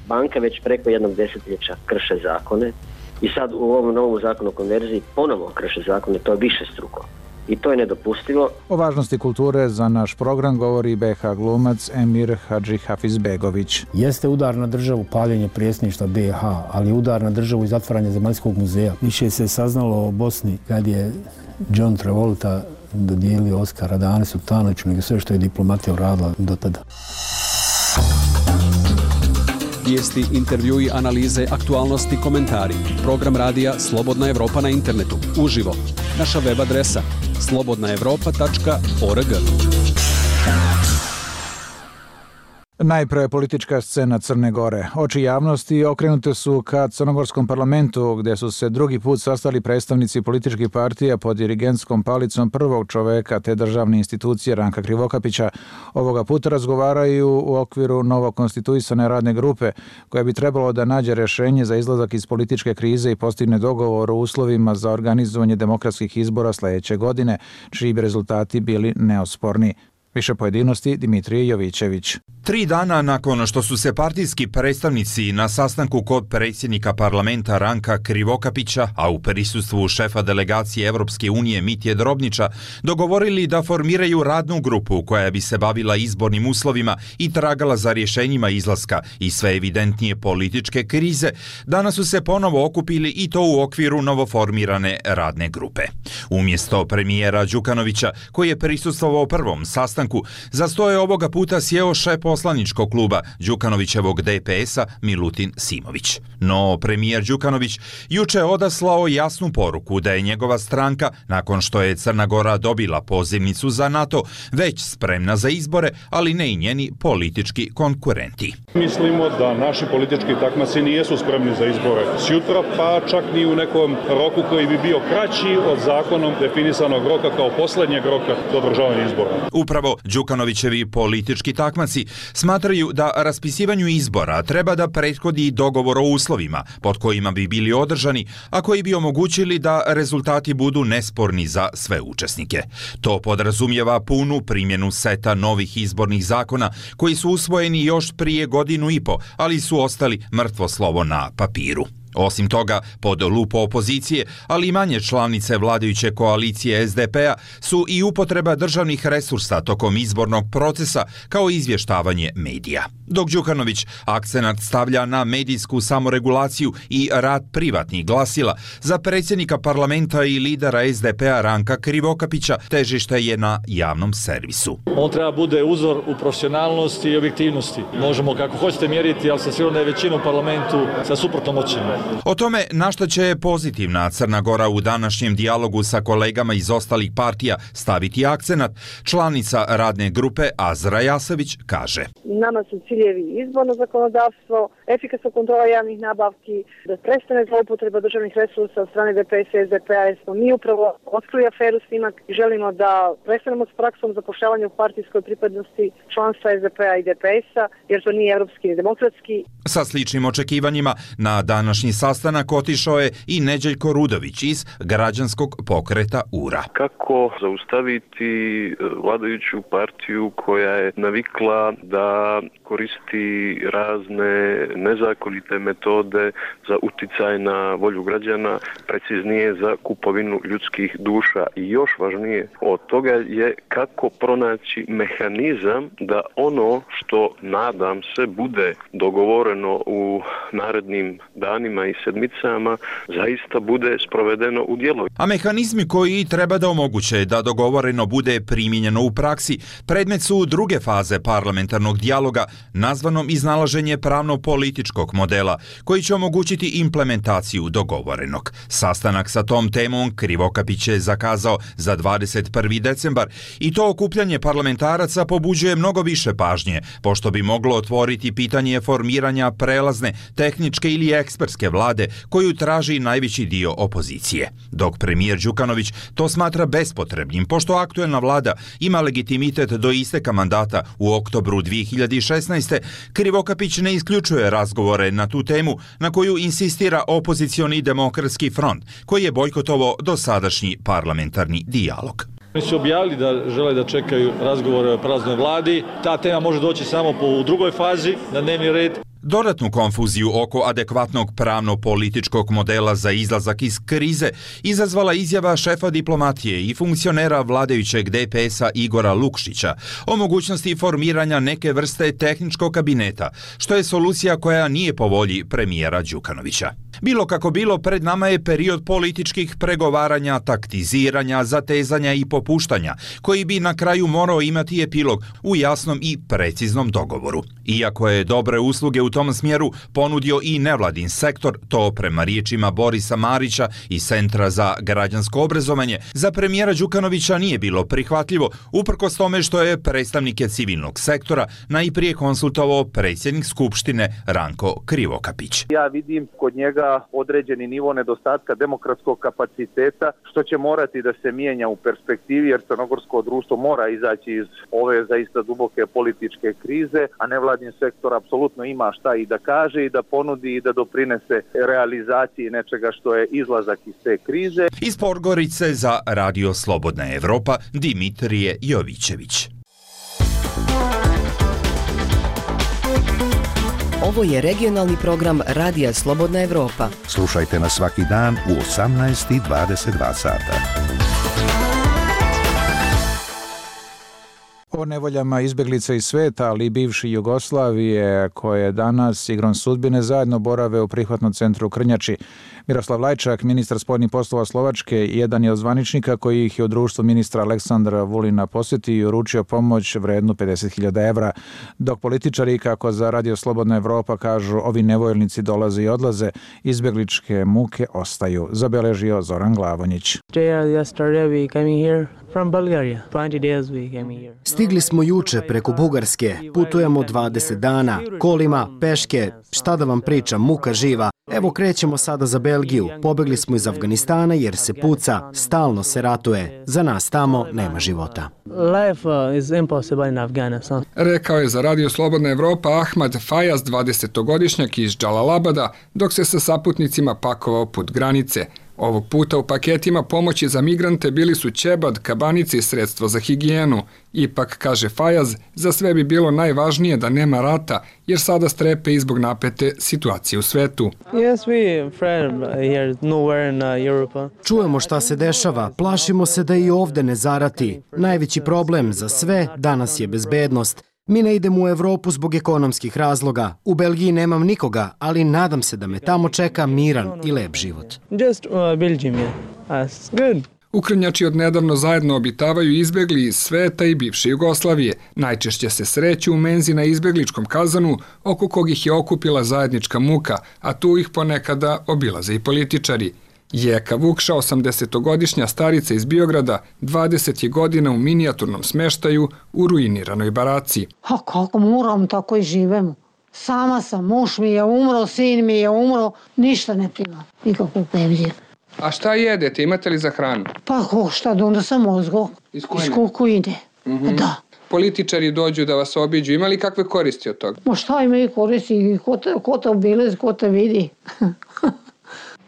Banke već preko jednog desetljeća krše zakone i sad u ovom novom zakonu o konverziji ponovo krše zakone, to je višestruko. I to je nedopustivo.
O važnosti kulture za naš program govori BH glumac Emir Hadži Hafizbegović.
Jeste udar na državu paljenje predsjedništva BH, ali udar na državu i zatvaranje Zemaljskog muzeja. Više se saznalo o Bosni kad je John Travolta dodijelio Oskara Dane Sultanoviću, nego sve što je diplomatija uradila do tada.
Vijesti, intervjui, analize, aktualnosti, komentari. Program radija Slobodna Evropa na internetu. Uživo. Naša web adresa slobodnaevropa.org.
Najpre politička scena Crne Gore. Oči javnosti okrenute su ka crnogorskom parlamentu, gdje su se drugi put sastali predstavnici političkih partija pod dirigentskom palicom prvog čoveka te državne institucije Ranka Krivokapića. Ovoga puta razgovaraju u okviru novokonstituisane radne grupe, koja bi trebalo da nađe rješenje za izlazak iz političke krize i postigne dogovor o uslovima za organizovanje demokratskih izbora sljedeće godine, čiji bi rezultati bili neosporni. Više pojedinosti Dimitrije Jovićević.
3 dana nakon što su se partijski predstavnici na sastanku kod predsjednika parlamenta Ranka Krivokapića, a u prisustvu šefa delegacije Evropske unije Mitje Drobnića, dogovorili da formiraju radnu grupu koja bi se bavila izbornim uslovima i tragala za rješenjima izlaska i sve evidentnije političke krize, danas su se ponovo okupili i to u okviru novoformirane radne grupe. Umjesto premijera Đukanovića, koji je prisustvovao prvom sastanku, za sto je ovoga puta sjeo šef poslaničkog kluba Đukanovićevog DPS-a Milutin Simović. No, premijer Đukanović juče je odaslao jasnu poruku da je njegova stranka, nakon što je Crna Gora dobila pozivnicu za NATO, već spremna za izbore, ali ne i njeni politički konkurenti.
Mislimo da naši politički takmaci nijesu spremni za izbore sjutra, pa čak ni u nekom roku koji bi bio kraći od zakonom definisanog roka kao posljednjeg roka do održavanja izbora.
Upravo Đukanovićevi politički takmaci smatraju da raspisivanju izbora treba da prethodi dogovor o uslovima pod kojima bi bili održani, a koji bi omogućili da rezultati budu nesporni za sve učesnike. To podrazumijeva punu primjenu seta novih izbornih zakona koji su usvojeni još prije 1.5 godina, ali su ostali mrtvo slovo na papiru. Osim toga, pod lupu opozicije, ali i manje članice vladajuće koalicije SDP-a su i upotreba državnih resursa tokom izbornog procesa kao izvještavanje medija. Dok Đukanović akcenat stavlja na medijsku samoregulaciju i rad privatnih glasila, za predsjednika parlamenta i lidera SDP-a Ranka Krivokapića težište je na javnom servisu.
On treba bude uzor u profesionalnosti i objektivnosti. Možemo kako hoćete mjeriti, ali sam siguran da je većina u parlamentu sa suprotnom ocjenom.
O tome na što će pozitivna Crna Gora u današnjem dijalogu sa kolegama iz ostalih partija staviti akcenat, članica radne grupe Azra Jasović kaže.
Nama su ciljevi izborno zakonodavstvo, efikasna kontrola javnih nabavki, da prestane zloupotreba državnih resursa od strane DPS i SDP-a, jer smo mi upravo otkrili aferu Snimak i želimo da prestanemo s praksom zapošljavanja u partijskoj pripadnosti članstva SDP-a i DPS-a, jer to nije evropski ni demokratski.
Sa sličnim očekivanjima na današnji sastanak otišao je i Neđeljko Rudović iz građanskog pokreta URA.
Kako zaustaviti vladajuću partiju koja je navikla da koristi razne nezakonite metode za uticaj na volju građana, preciznije za kupovinu ljudskih duša. I još važnije od toga je kako pronaći mehanizam da ono što, nadam se, bude dogovoreno u narednim danima i sedmicama zaista bude sprovedeno u djelo.
A mehanizmi koji treba da omoguće da dogovoreno bude primijenjeno u praksi predmet su druge faze parlamentarnog dijaloga nazvanom iznalaženje pravno-političkog modela koji će omogućiti implementaciju dogovorenog. Sastanak sa tom temom Krivokapić je zakazao za 21. decembar i to okupljanje parlamentaraca pobuđuje mnogo više pažnje, pošto bi moglo otvoriti pitanje formiranja prelazne, tehničke ili ekspertske vlade koju traži najveći dio opozicije. Dok premijer Đukanović to smatra bespotrebnim, pošto aktuelna vlada ima legitimitet do isteka mandata u oktobru 2016. Krivokapić ne isključuje razgovore na tu temu na koju insistira opozicioni demokratski front, koji je bojkotovao dosadašnji parlamentarni dijalog.
Oni su objavili da žele da čekaju razgovore o prelaznoj vladi. Ta tema može doći samo u drugoj fazi na dnevni red.
Dodatnu konfuziju oko adekvatnog pravno-političkog modela za izlazak iz krize izazvala izjava šefa diplomatije i funkcionera vladajućeg DPS-a Igora Lukšića o mogućnosti formiranja neke vrste tehničkog kabineta, što je solucija koja nije po volji premijera Đukanovića. Bilo kako bilo, pred nama je period političkih pregovaranja, taktiziranja, zatezanja i popuštanja, koji bi na kraju morao imati epilog u jasnom i preciznom dogovoru. Iako je dobre usluge u tom smjeru ponudio i nevladin sektor, to prema riječima Borisa Marića iz Centra za građansko obrazovanje, za premijera Đukanovića nije bilo prihvatljivo, uprkos tome što je predstavnike civilnog sektora najprije konsultovao predsjednik Skupštine Ranko Krivokapić.
Ja vidim kod njega određeni nivo nedostatka demokratskog kapaciteta, što će morati da se mijenja u perspektivi, jer crnogorsko društvo mora izaći iz ove zaista duboke političke krize, a nevladin sektor apsolutno ima šta i da kaže i da ponudi i da doprinese realizaciji nečega što je izlazak iz te krize.
Iz Podgorice za Radio Slobodna Evropa, Dimitrije Jovićević.
Ovo je regionalni program Radija Slobodna Evropa.
Slušajte nas svaki dan u 18:22 sata.
O nevoljama izbjeglica iz sveta, ali i bivši Jugoslavije, koje danas igrom sudbine zajedno borave u prihvatnom centru u Krnjači. Miroslav Lajčak, ministar spoljnih poslova Slovačke, jedan je od zvaničnika koji ih je u društvu ministra Aleksandra Vulina posjetio i uručio pomoć vrednu 50.000 evra, dok političari, kako za Radio Slobodna Evropa kažu, ovi nevoljnici dolaze i odlaze, izbjegličke muke ostaju, zabeležio Zoran Glavonjić.
Stigli smo juče preko Bugarske, putujemo 20 dana, kolima, peške, šta da vam pričam, muka živa. Evo krećemo sada za Belgiju, pobegli smo iz Afganistana jer se puca, stalno se ratuje, za nas tamo nema života.
Rekao je za Radio Slobodna Evropa Ahmad Fajaz, 20-godišnjak iz Džalalabada, dok se sa saputnicima pakovao put granice. Ovog puta u paketima pomoći za migrante bili su ćebad, kabanice i sredstvo za higijenu. Ipak, kaže Fajaz, za sve bi bilo najvažnije da nema rata, jer sada strepe i zbog napete situacije u svetu.
Čujemo šta se dešava, plašimo se da i ovde ne zarati. Najveći problem za sve danas je bezbednost. Mi ne idemo u Evropu zbog ekonomskih razloga. U Belgiji nemam nikoga, ali nadam se da me tamo čeka miran i lep život.
Ukrnjači odnedavno zajedno obitavaju izbegli iz sveta i bivše Jugoslavije. Najčešće se sreću u menzi na izbegličkom kazanu, oko kog ih je okupila zajednička muka, a tu ih ponekada obilaze i političari. Jeka Vukša, 80-godišnja starica iz Biograda, 20 je godina u minijaturnom smeštaju u ruiniranoj baraci.
A kako moram, tako i živemo. Sama sam, muž mi je umro, sin mi je umro, ništa ne primam, nikakvu penziju.
A šta jedete, imate li za hranu?
Pa šta, onda sam mozgo. Iz Kukujne. Da.
Političari dođu da vas obiđu, ima li kakve koristi od toga?
Ma šta ima i koristi, ko te obilezi, ko te vidi.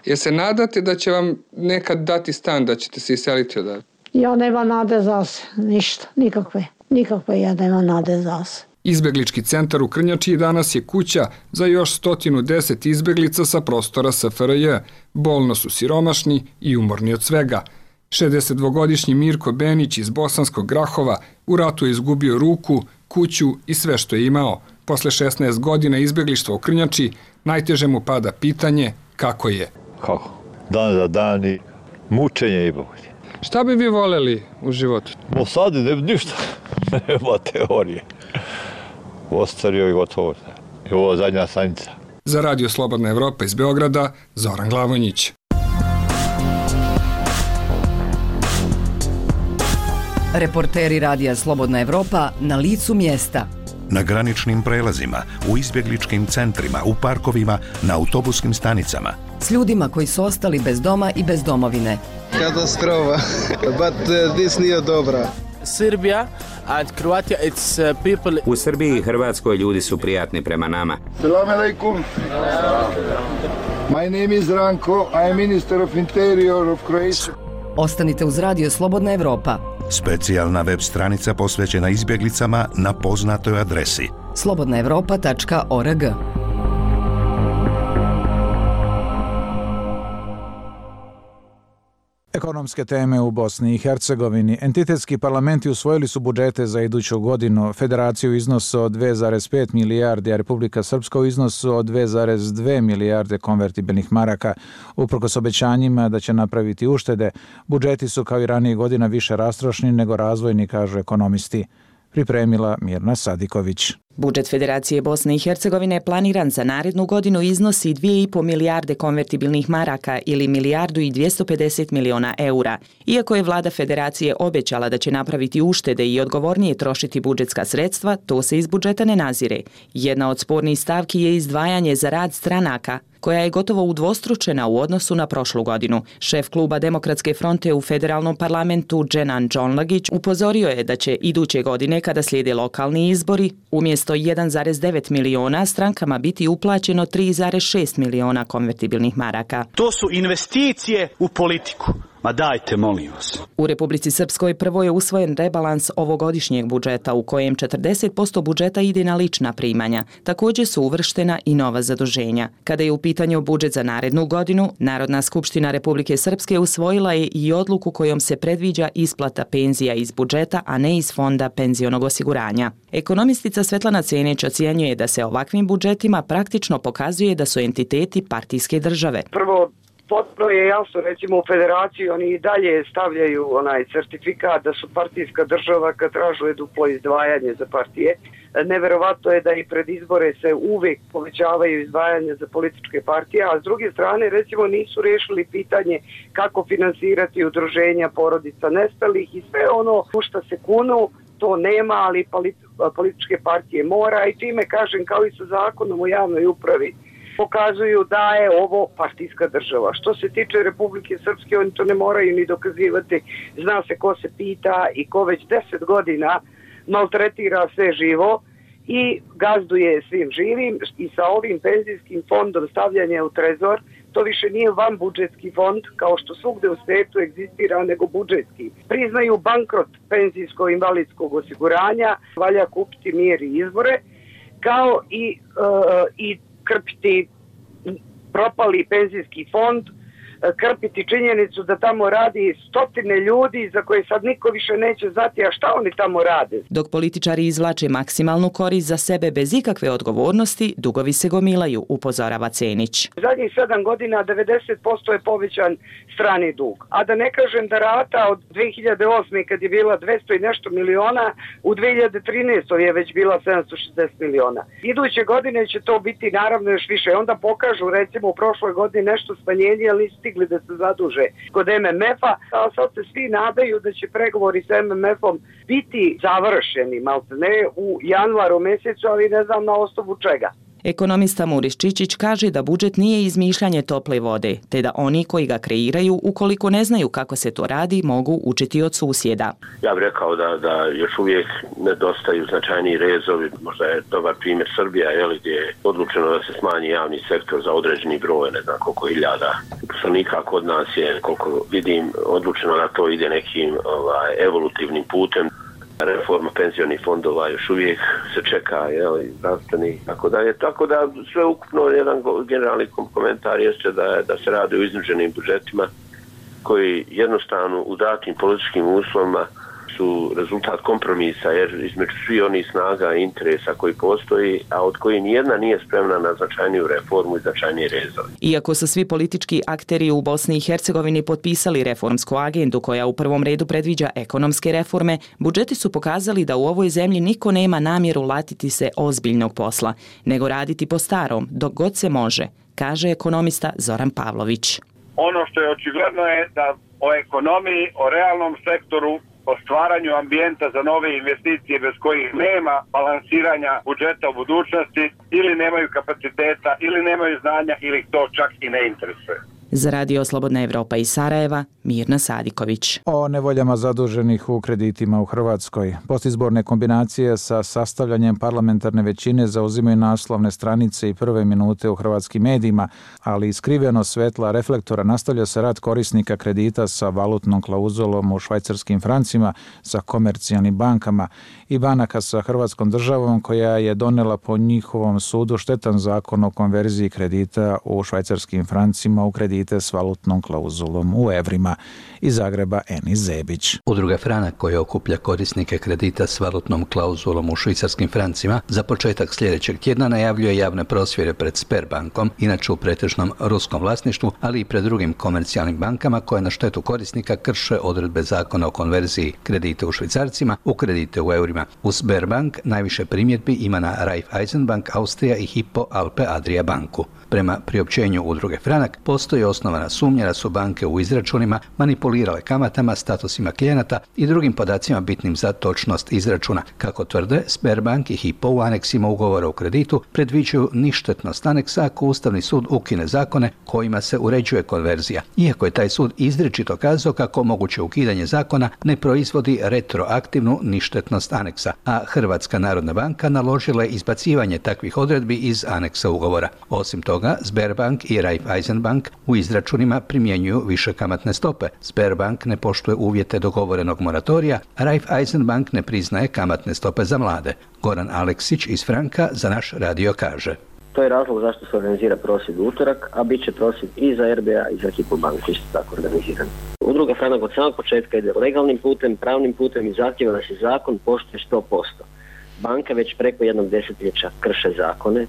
Jel se nadate da će vam nekad dati stan, da ćete se iseliti odavde?
Ja nema nade za se, ništa, nikakve ja nema nade za se.
Izbeglički centar u Krnjači danas je kuća za još 110 izbeglica sa prostora SFRJ. Bolno su siromašni i umorni od svega. 62-godišnji Mirko Benić iz Bosanskog Grahova u ratu je izgubio ruku, kuću i sve što je imao. Posle 16 godina izbeglištva u Krnjači najteže mu pada pitanje kako je.
Kako? Dan za dan i mučenje i bolje.
Šta bi vi voleli u životu?
Sad ništa, nema teorije. Ostario i gotovo. I ovo zadnja stanica.
Za Radio Slobodna Evropa iz Beograda, Zoran Glavonjić.
Reporteri Radija Slobodna Evropa na licu mjesta.
Na graničnim prelazima, u izbjegličkim centrima, u parkovima, na autobuskim stanicama.
S ljudima koji su ostali bez doma i bez domovine.
Katastrofa, but this nije dobra.
Serbia and Croatia, it's people...
U Srbiji i Hrvatskoj ljudi su prijatni prema nama.
Salam alaikum. My name is Ranko, I am Minister of Interior of Croatia.
Ostanite uz Radio Slobodna Evropa.
Specijalna web stranica posvećena izbjeglicama na poznatoj adresi
slobodnaevropa.org.
Ekonomske teme u Bosni i Hercegovini. Entitetski parlamenti usvojili su budžete za iduću godinu. Federaciju u iznosu od 2,5 milijardi, a Republika Srpska u iznosu od 2,2 milijarde konvertibilnih maraka. Uprkos obećanjima da će napraviti uštede, budžeti su kao i ranije godina više rastrošni nego razvojni, kažu ekonomisti. Pripremila Mirna Sadiković.
Budžet Federacije Bosne i Hercegovine planiran za narednu godinu iznosi 2,5 milijarde konvertibilnih maraka ili 1,250 miliona eura. Iako je vlada Federacije obećala da će napraviti uštede i odgovornije trošiti budžetska sredstva, to se iz budžeta ne nazire. Jedna od spornih stavki je izdvajanje za rad stranaka, koja je gotovo udvostručena u odnosu na prošlu godinu. Šef kluba Demokratske fronte u federalnom parlamentu Dženan Džonlagić upozorio je da će iduće godine, kada slijede lokalni izbori, umjesto 1,9 miliona strankama biti uplaćeno 3,6 miliona konvertibilnih maraka.
To su investicije u politiku. Ma dajte, molim vas.
U Republici Srpskoj prvo je usvojen rebalans ovogodišnjeg budžeta u kojem 40% budžeta ide na lična primanja. Također su uvrštena i nova zaduženja. Kada je u pitanju budžet za narednu godinu, Narodna skupština Republike Srpske usvojila je i odluku kojom se predviđa isplata penzija iz budžeta, a ne iz fonda penzionog osiguranja. Ekonomistica Svetlana Cenić ocjenjuje da se ovakvim budžetima praktično pokazuje da su entiteti partijske države.
Prvo, potpuno je jasno, recimo u Federaciji oni i dalje stavljaju onaj certifikat da su partijska država kad tražuje duplo izdvajanje za partije. Neverovatno je da i pred izbore se uvijek povećavaju izdvajanja za političke partije, a s druge strane recimo nisu riješili pitanje kako finansirati udruženja porodica nestalih i sve ono u što se kunu. To nema, ali političke partije mora i time kažem kao i sa zakonom o javnoj upravi pokazuju da je ovo partijska država. Što se tiče Republike Srpske, oni to ne moraju ni dokazivati. Zna se ko se pita i ko već 10 godina maltretira sve živo i gazduje svim živim i sa ovim penzijskim fondom stavljanja u trezor, to više nije van budžetski fond kao što svugde u svijetu egzistira, nego budžetski. Priznaju bankrot penzijsko-invalidskog osiguranja, valja kupiti mir i izbore, kao i krpiti propali penzijski fond krpiti činjenicu da tamo radi stotine ljudi za koje sad niko više neće znati, a šta oni tamo rade.
Dok političari izvlače maksimalnu korist za sebe bez ikakve odgovornosti, dugovi se gomilaju, upozorava Cenić.
Zadnjih 7 godina 90% je povećan strani dug. A da ne kažem da rata od 2008. kad je bila 200 i nešto miliona, u 2013. je već bila 760 miliona. Iduće godine će to biti naravno još više. Onda pokažu recimo u prošloj godini nešto smanjenje, ali stigli da se zaduže kod MMF-a, a sad se svi nadaju da će pregovori sa MMF-om biti završeni, maltene u januaru mjesecu, ali ne znam na osnovu čega.
Ekonomista Muris Čičić kaže da budžet nije izmišljanje tople vode, te da oni koji ga kreiraju, ukoliko ne znaju kako se to radi, mogu učiti od susjeda.
Ja bih rekao da još uvijek nedostaju značajniji rezovi. Možda je dobar primjer Srbija, gdje je odlučeno da se smanji javni sektor za određeni broj, ne znam koliko hiljada uposlenika. Kod nas je, koliko vidim, odlučeno da to ide nekim evolutivnim putem. Reforma penzionih fondova još uvijek se čeka, zdravstveni, tako dalje. Tako da sve ukupno jedan generalni komentar jeste da se radi o iznuđenim budžetima koji jednostavno u datim političkim uslovima su rezultat kompromisa, jer između svih onih snaga i interesa koji postoji, a od koji nijedna nije spremna na značajniju reformu i značajnije rezove.
Iako su svi politički akteri u Bosni i Hercegovini potpisali reformsku agendu koja u prvom redu predviđa ekonomske reforme, budžeti su pokazali da u ovoj zemlji niko nema namjeru latiti se ozbiljnog posla, nego raditi po starom, dok god se može, kaže ekonomista Zoran Pavlović.
Ono što je očigledno je da o ekonomiji, o realnom sektoru, o stvaranju ambijenta za nove investicije bez kojih nema balansiranja budžeta u budućnosti, ili nemaju kapaciteta, ili nemaju znanja, ili ih to čak i ne interesuje.
Za Radio Slobodna Evropa iz Sarajeva, Mirna Sadiković.
O nevoljama zaduženih u kreditima u Hrvatskoj. Postizborne kombinacije sa sastavljanjem parlamentarne većine zauzimaju naslovne stranice i prve minute u hrvatskim medijima, ali iskriveno svetla reflektora nastavlja se rad korisnika kredita sa valutnom klauzulom u švajcarskim francima, sa komercijalnim bankama i banaka sa Hrvatskom državom koja je donela po njihovom sudu štetan zakon o konverziji kredita u švajcarskim francima u kredite s valutnom klauzulom u evrima. Iz Zagreba Eni Zebić.
Udruga Franak koja okuplja korisnike kredita s valutnom klauzulom u švicarskim francima za početak sljedećeg tjedna najavljuje javne prosvjede pred Sberbankom, inače u pretežnom ruskom vlasništvu, ali i pred drugim komercijalnim bankama koje na štetu korisnika krše odredbe zakona o konverziji kredita u švicarcima u kredite u eurima. U Sberbank najviše primjedbi ima na Raiffeisenbank Austrija i Hypo Alpe Adria banku. Prema priopćenju udruge Franak postoji osnovana sumnja da su banke u izračunima manipulirale kamatama, statusima klijenata i drugim podacima bitnim za točnost izračuna. Kako tvrde, Sberbank i Hypo u aneksima ugovora o kreditu predviđaju ništetnost aneksa ako Ustavni sud ukine zakone kojima se uređuje konverzija. Iako je taj sud izričito kazao kako moguće ukidanje zakona ne proizvodi retroaktivnu ništetnost aneksa, a Hrvatska narodna banka naložila je izbacivanje takvih odredbi iz aneksa ugovora. Osim toga, Sberbank i Raiffeisenbank u izračunima primjenjuju više kamatne stope. Sberbank ne poštuje uvjete dogovorenog moratorija, a Raiffeisenbank ne priznaje kamatne stope za mlade. Goran Aleksić iz Franka za naš radio kaže.
To je razlog zašto se organizira prosvjed u utorak, a bit će prosvjed i za RBA i za Hypo banku isto tako organiziran. Udruga Franak od samog početka ide legalnim putem, pravnim putem i zahtjeva da se zakon poštuje 100%. Banke već preko jednog desetljeća krše zakone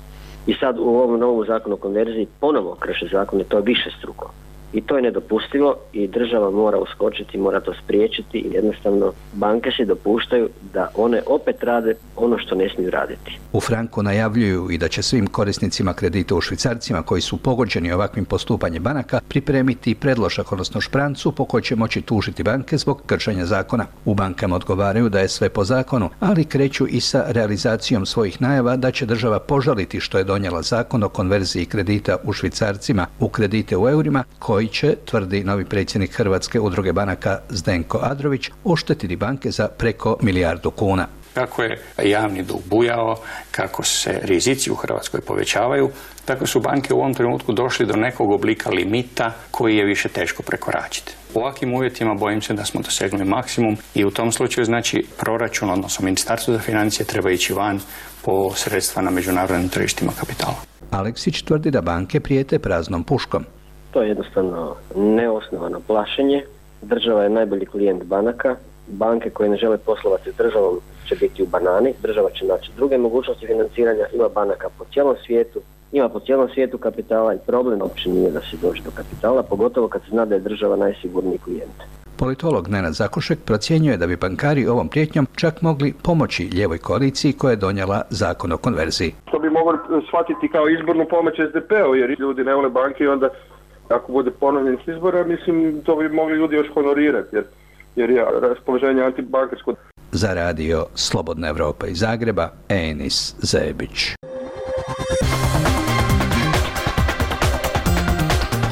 i sad u ovom novom zakonu o konverziji ponovo krše zakone, to je višestruko. I to je nedopustivo i država mora uskočiti, mora to spriječiti i jednostavno banke se dopuštaju da one opet rade ono što ne smiju raditi.
U Franku najavljuju i da će svim korisnicima kredita u švicarcima koji su pogođeni ovakvim postupanjem banaka pripremiti predložak, odnosno šprancu po kojoj će moći tužiti banke zbog kršenja zakona. U bankama odgovaraju da je sve po zakonu, ali kreću i sa realizacijom svojih najava da će država požaliti što je donijela zakon o konverziji kredita u švicarcima u kredite u eurima koji će, tvrdi novi predsjednik Hrvatske udruge banaka Zdenko Adrović, oštetiti banke za preko milijardu kuna.
Kako je javni dug bujao, kako se rizici u Hrvatskoj povećavaju, tako su banke u ovom trenutku došli do nekog oblika limita koji je više teško prekoračiti. U ovakvim uvjetima bojim se da smo dosegnuli maksimum i u tom slučaju znači proračun, odnosno Ministarstvo za financije treba ići van po sredstva na međunarodnim tržištima kapitala.
Aleksić tvrdi da banke prijete praznom puškom.
To je jednostavno neosnovano plašenje. Država je najbolji klijent banaka. Banke koje ne žele poslovati s državom će biti u banani. Država će naći druge mogućnosti financiranja. Ima banaka po cijelom svijetu. Ima po cijelom svijetu kapitala i problem uopće nije da se dođe do kapitala, pogotovo kad se zna da je država najsigurniji klijent.
Politolog Nenad Zakušek procjenjuje da bi bankari ovom prijetnjom čak mogli pomoći lijevoj koaliciji koja je donijela zakon o konverziji.
To bi mogli shvatiti kao izbornu pomoć SDP-u, jer ljudi ne vole banke i onda ako bude ponovljen s izbora, mislim to bi mogli ljudi još honorirati, jer je raspoloženje antibankarsko.
Za radio Slobodna Evropa iz Zagreba, Enis Zebić.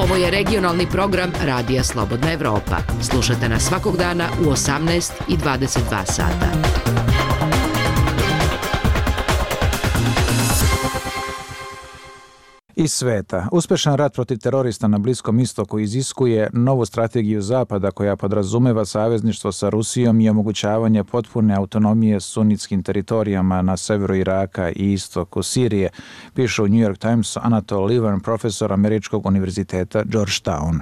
Ovo je regionalni program Radija Slobodna Evropa. Slušate nas svakog dana u 18 i 22 sata.
Iz sveta. Uspešan rat protiv terorista na Bliskom istoku iziskuje novu strategiju Zapada koja podrazumeva savezništvo sa Rusijom i omogućavanje potpune autonomije sunitskim teritorijama na severu Iraka i istoku Sirije, piše u New York Timesu Anatol Lieven, profesor Američkog univerziteta Georgetown.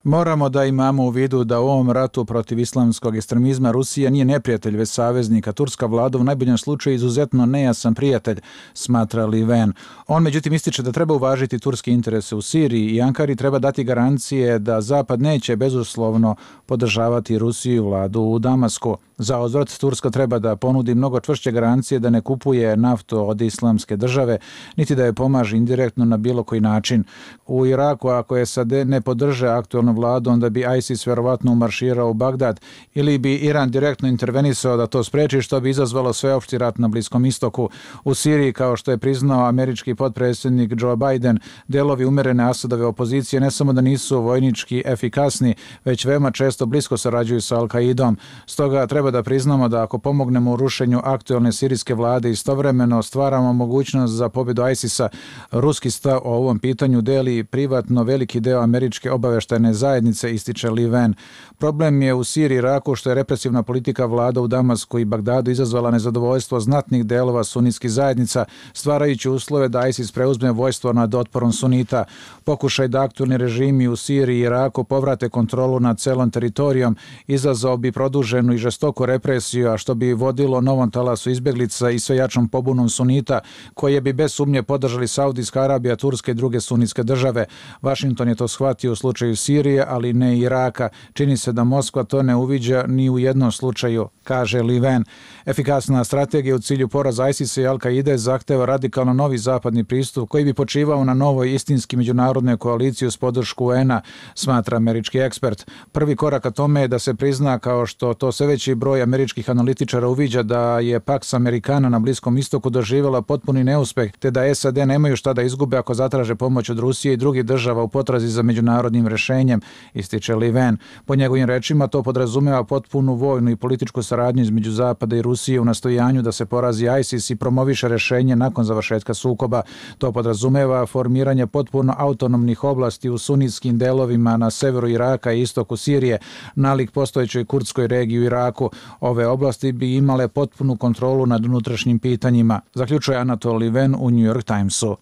Moramo da imamo u vidu da u ovom ratu protiv islamskog ekstremizma Rusija nije neprijatelj, već saveznika. Turska vlada u najboljem slučaju izuzetno nejasan prijatelj, smatra Lieven. On međutim ističe da treba uvažiti turske interese u Siriji i Ankari treba dati garancije da Zapad neće bezuslovno podržavati Rusiju i vladu u Damasku. Za uzvrat Turska treba da ponudi mnogo čvršće garancije da ne kupuje naftu od islamske države, niti da je pomaže indirektno na bilo koji način. U Iraku, ako SAD ne podrže aktualnu vladu, onda bi ISIS verovatno umarširao u Bagdad ili bi Iran direktno intervenisao da to spreči, što bi izazvalo sveopšti rat na Bliskom istoku. U Siriji, kao što je priznao američki potpredsjednik Joe Biden, delovi umerene Asadove opozicije ne samo da nisu vojnički efikasni, već veoma često blisko sarađuju sa Al-Kaidom. Stoga treba da priznamo da ako pomognemo u rušenju aktualne sirijske vlade, istovremeno stvaramo mogućnost za pobjedu ISIS-a. Ruski stav o ovom pitanju deli privatno veliki deo američke obaveštajne zajednice, ističe Lieven. Problem je u Siriji i Iraku što je represivna politika vlada u Damasku i Bagdadu izazvala nezadovoljstvo znatnih delova sunitskih zajednica, stvarajući uslove da ISIS preuzme vojstvo nad otporom sunita. Pokušaj da aktualni režimi u Siriji i Iraku povrate kontrolu nad celom teritorijom izazvao bi produženu i žestoku represiju, a što bi vodilo novom talasu izbjeglica i sve jačom pobunom sunita, koje bi bez sumnje podržali Saudijska Arabija, Turska i druge sunitske države. Washington je to shvatio u slučaju Sirije, ali ne i Iraka. Čini se da Moskva to ne uviđa ni u jednom slučaju, kaže Lieven. Efikasna strategija u cilju poraza ISIS-a i Al-Kaide zahteva radikalno novi zapadni pristup koji bi počivao na novoj istinski međunarodnoj koaliciji uz podršku UN-a, smatra američki ekspert. Prvi korak ka tome je da se prizna, kao što to sve veći broj američkih analitičara uviđa, da je Pax Americana na Bliskom istoku doživjela potpuni neuspeh, te da SAD nemaju šta da izgube ako zatraže pomoć od Rusije i drugih država u potrazi za međunarodnim rešenjem, ističe Lieven. Po njegovim rečima to podrazumeva potpunu vojnu i političku saradnju između Zapada i Rusije u nastojanju da se porazi ISIS i promoviše rešenje nakon završetka sukoba. To podrazumeva formiranje potpuno autonomnih oblasti u sunitskim delovima na severu Iraka i istoku Sirije, nalik postojećoj kurdskoj regiji u Iraku. Ove oblasti bi imale potpunu kontrolu nad unutrašnjim pitanjima, zaključuje Anatol Lieven u New York Timesu.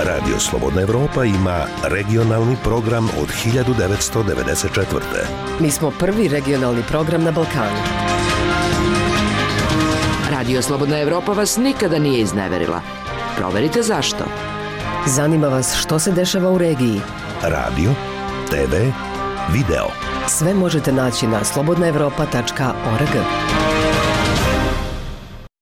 Radio Slobodna Evropa ima regionalni program od 1994.
Mi smo prvi regionalni program na Balkanu.
Radio Slobodna Evropa vas nikada nije izneverila. Proverite zašto.
Zanima vas što se dešava u regiji.
Radio, TV, video.
Sve možete naći na slobodnaevropa.org.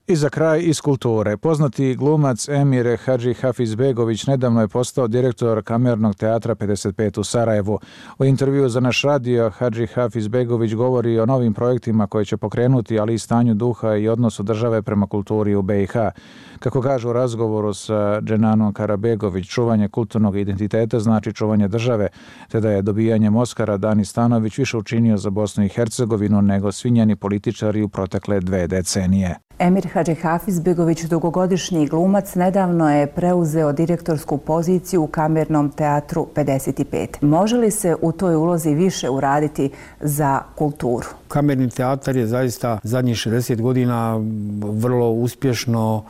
I za kraj iz kulture. Poznati glumac Emir Hadži Hafizbegović nedavno je postao direktor Kamernog teatra 55 u Sarajevu. U intervju za naš radio Hadži Hafizbegović govori o novim projektima koje će pokrenuti, ali i stanju duha i odnosu države prema kulturi u BiH. Kako kaže u razgovoru sa Dženanom Karabegović, čuvanje kulturnog identiteta znači čuvanje države, te da je dobijanjem Oskara Dani Stanović više učinio za Bosnu i Hercegovinu nego svi njeni političari u protekle 2 decenije.
Emir Hadži Hafizbegović, dugogodišnji glumac, nedavno je preuzeo direktorsku poziciju u Kamernom teatru 55. Može li se u toj ulozi više uraditi za kulturu?
Kamerni teatar je zaista zadnjih 60 godina vrlo uspješno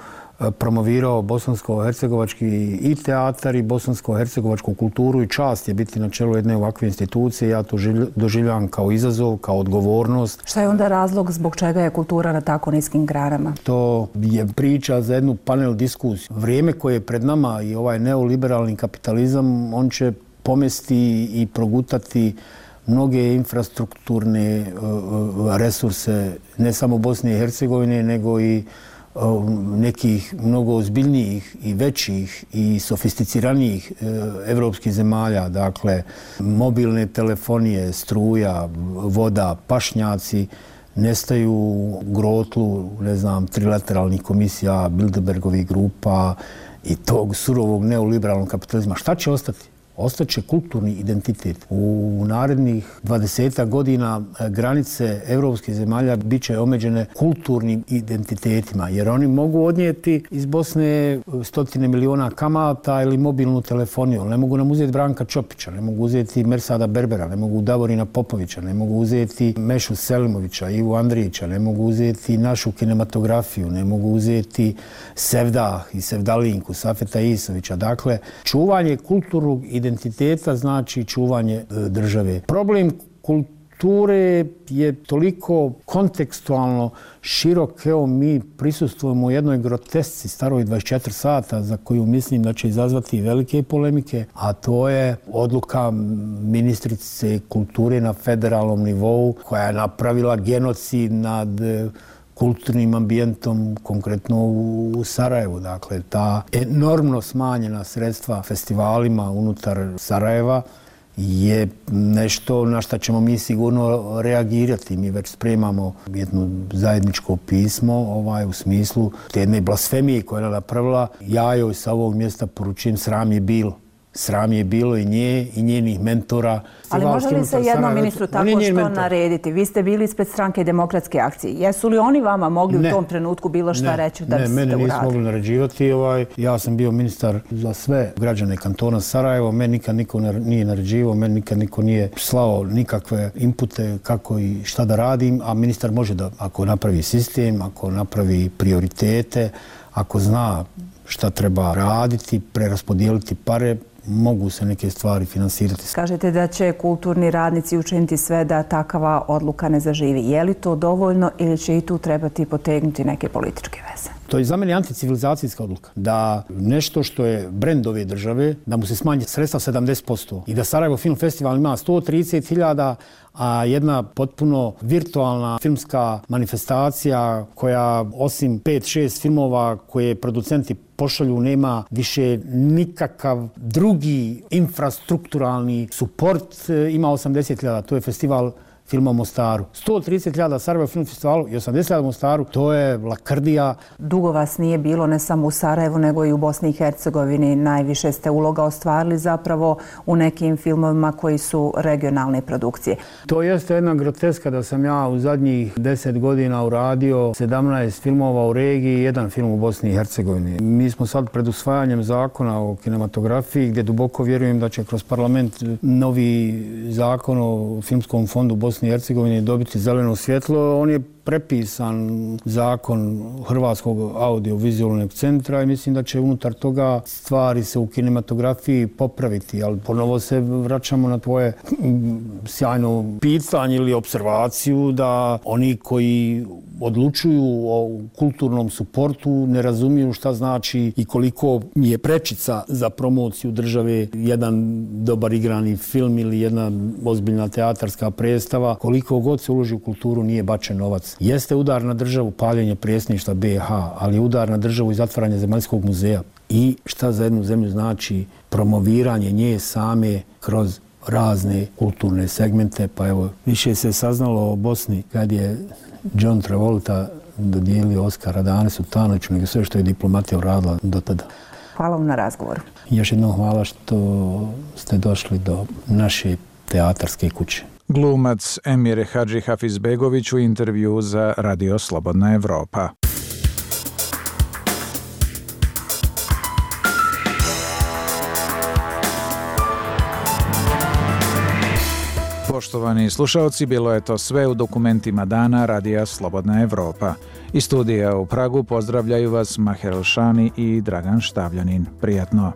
promovirao bosansko-hercegovački i teatar i bosansko-hercegovačku kulturu i čast je biti na čelu jedne ovakve institucije. Ja to doživljavam kao izazov, kao odgovornost.
Šta je onda razlog zbog čega je kultura na tako niskim granama?
To je priča za jednu panel diskusiju. Vrijeme koje je pred nama i ovaj neoliberalni kapitalizam, on će pomesti i progutati mnoge infrastrukturne resurse ne samo Bosne i Hercegovine, nego i nekih mnogo ozbiljnijih i većih i sofisticiranijih evropskih zemalja. Dakle, mobilne telefonije, struja, voda, pašnjaci nestaju u grotlu, ne znam, trilateralnih komisija, Bilderbergovih grupa i tog surovog neoliberalnog kapitalizma. Šta će ostati? Ostaće kulturni identitet. U narednih 20 godina granice evropskih zemalja bit će omeđene kulturnim identitetima, jer oni mogu odnijeti iz Bosne 100 miliona kamata ili mobilnu telefoniju. Ne mogu nam uzeti Branka Čopića, ne mogu uzeti Mersada Berbera, ne mogu Davorina Popovića, ne mogu uzeti Mešu Selimovića, Ivu Andrijića, ne mogu uzeti našu kinematografiju, ne mogu uzeti Sevdah i Sevdalinku, Safeta Isovića. Dakle, čuvanje kulturnog identiteta znači čuvanje države. Problem kulture je toliko kontekstualno širok. Evo, mi prisustvujemo jednoj grotesci staroj 24 sata za koju mislim da će izazvati velike polemike, a to je odluka ministrice kulture na federalnom nivou koja je napravila genocid nad kulturnim ambijentom, konkretno u Sarajevu. Dakle, ta enormno smanjena sredstva festivalima unutar Sarajeva je nešto na što ćemo mi sigurno reagirati. Mi već spremamo jedno zajedničko pismo u smislu te jedne blasfemije koja je napravila. Ja joj sa ovog mjesta poručujem, sram je bilo. Sram je bilo i nje i njenih mentora.
Ali može li se jednom ministru tako što narediti? Vi ste bili ispred stranke Demokratske akcije. Jesu li oni vama mogli u tom trenutku bilo šta reći da biste uradili?
Ne, mene nisu mogli naređivati. Ja sam bio ministar za sve građane kantona Sarajevo. Meni nikad niko nije naređivao, meni nikad niko nije slao nikakve inpute kako i šta da radim, a ministar može da, ako napravi sistem, ako napravi prioritete, ako zna šta treba raditi, preraspodijeliti pare, mogu se neke stvari finansirati.
Kažete da će kulturni radnici učiniti sve da takava odluka ne zaživi. Je li to dovoljno ili će i tu trebati potegnuti neke političke veze?
To je za mene anticivilizacijska odluka. Da nešto što je brend ove države, da mu se smanji sredstva 70% i da Sarajevo Film Festival ima 130.000, a jedna potpuno virtualna filmska manifestacija koja osim 5-6 filmova koje producenti pošalju nema više nikakav drugi infrastrukturalni suport, ima 80.000. To je festival filma u Mostaru. 130.000 Sarajevo Film Festivalu i 80.000 u Mostaru, to je lakrdija.
Dugo vas nije bilo ne samo u Sarajevu, nego i u Bosni i Hercegovini. Najviše ste uloga ostvarili zapravo u nekim filmovima koji su regionalne produkcije.
To jeste jedna groteska da sam ja u zadnjih 10 godina uradio 17 filmova u regiji i jedan film u Bosni i Hercegovini. Mi smo sad pred usvajanjem zakona o kinematografiji, gdje duboko vjerujem da će kroz parlament novi zakon o filmskom fondu Bosni i Hercegovine dobiti zeleno svjetlo. On je prepisan zakon Hrvatskog audiovizualnog centra i mislim da će unutar toga stvari se u kinematografiji popraviti, ali ponovo se vraćamo na tvoje sjajno pitanje ili observaciju da oni koji odlučuju o kulturnom suportu ne razumiju šta znači i koliko je prečica za promociju države jedan dobar igrani film ili jedna ozbiljna teatarska predstava. Koliko god se uloži u kulturu nije bačen novac. Jeste udar na državu paljenje predsjedništva BiH, ali je udar na državu i zatvaranje zemaljskog muzeja. I šta za jednu zemlju znači promoviranje nje same kroz razne kulturne segmente. Pa evo, više se saznalo o Bosni kad je John Travolta dodijelio Oskara Danesu Tanoviću, nego sve što je diplomatija uradila do tada.
Hvala vam na razgovoru.
Još jednom hvala što ste došli do naše teatarske kuće.
Glumac Emir Hadži Hafizbegović u intervju za Radio Slobodna Evropa. Poštovani slušalci, bilo je to sve u dokumentima dana Radija Slobodna Evropa. Iz studija u Pragu pozdravljaju vas Maher Elšani i Dragan Štavljanin. Prijatno!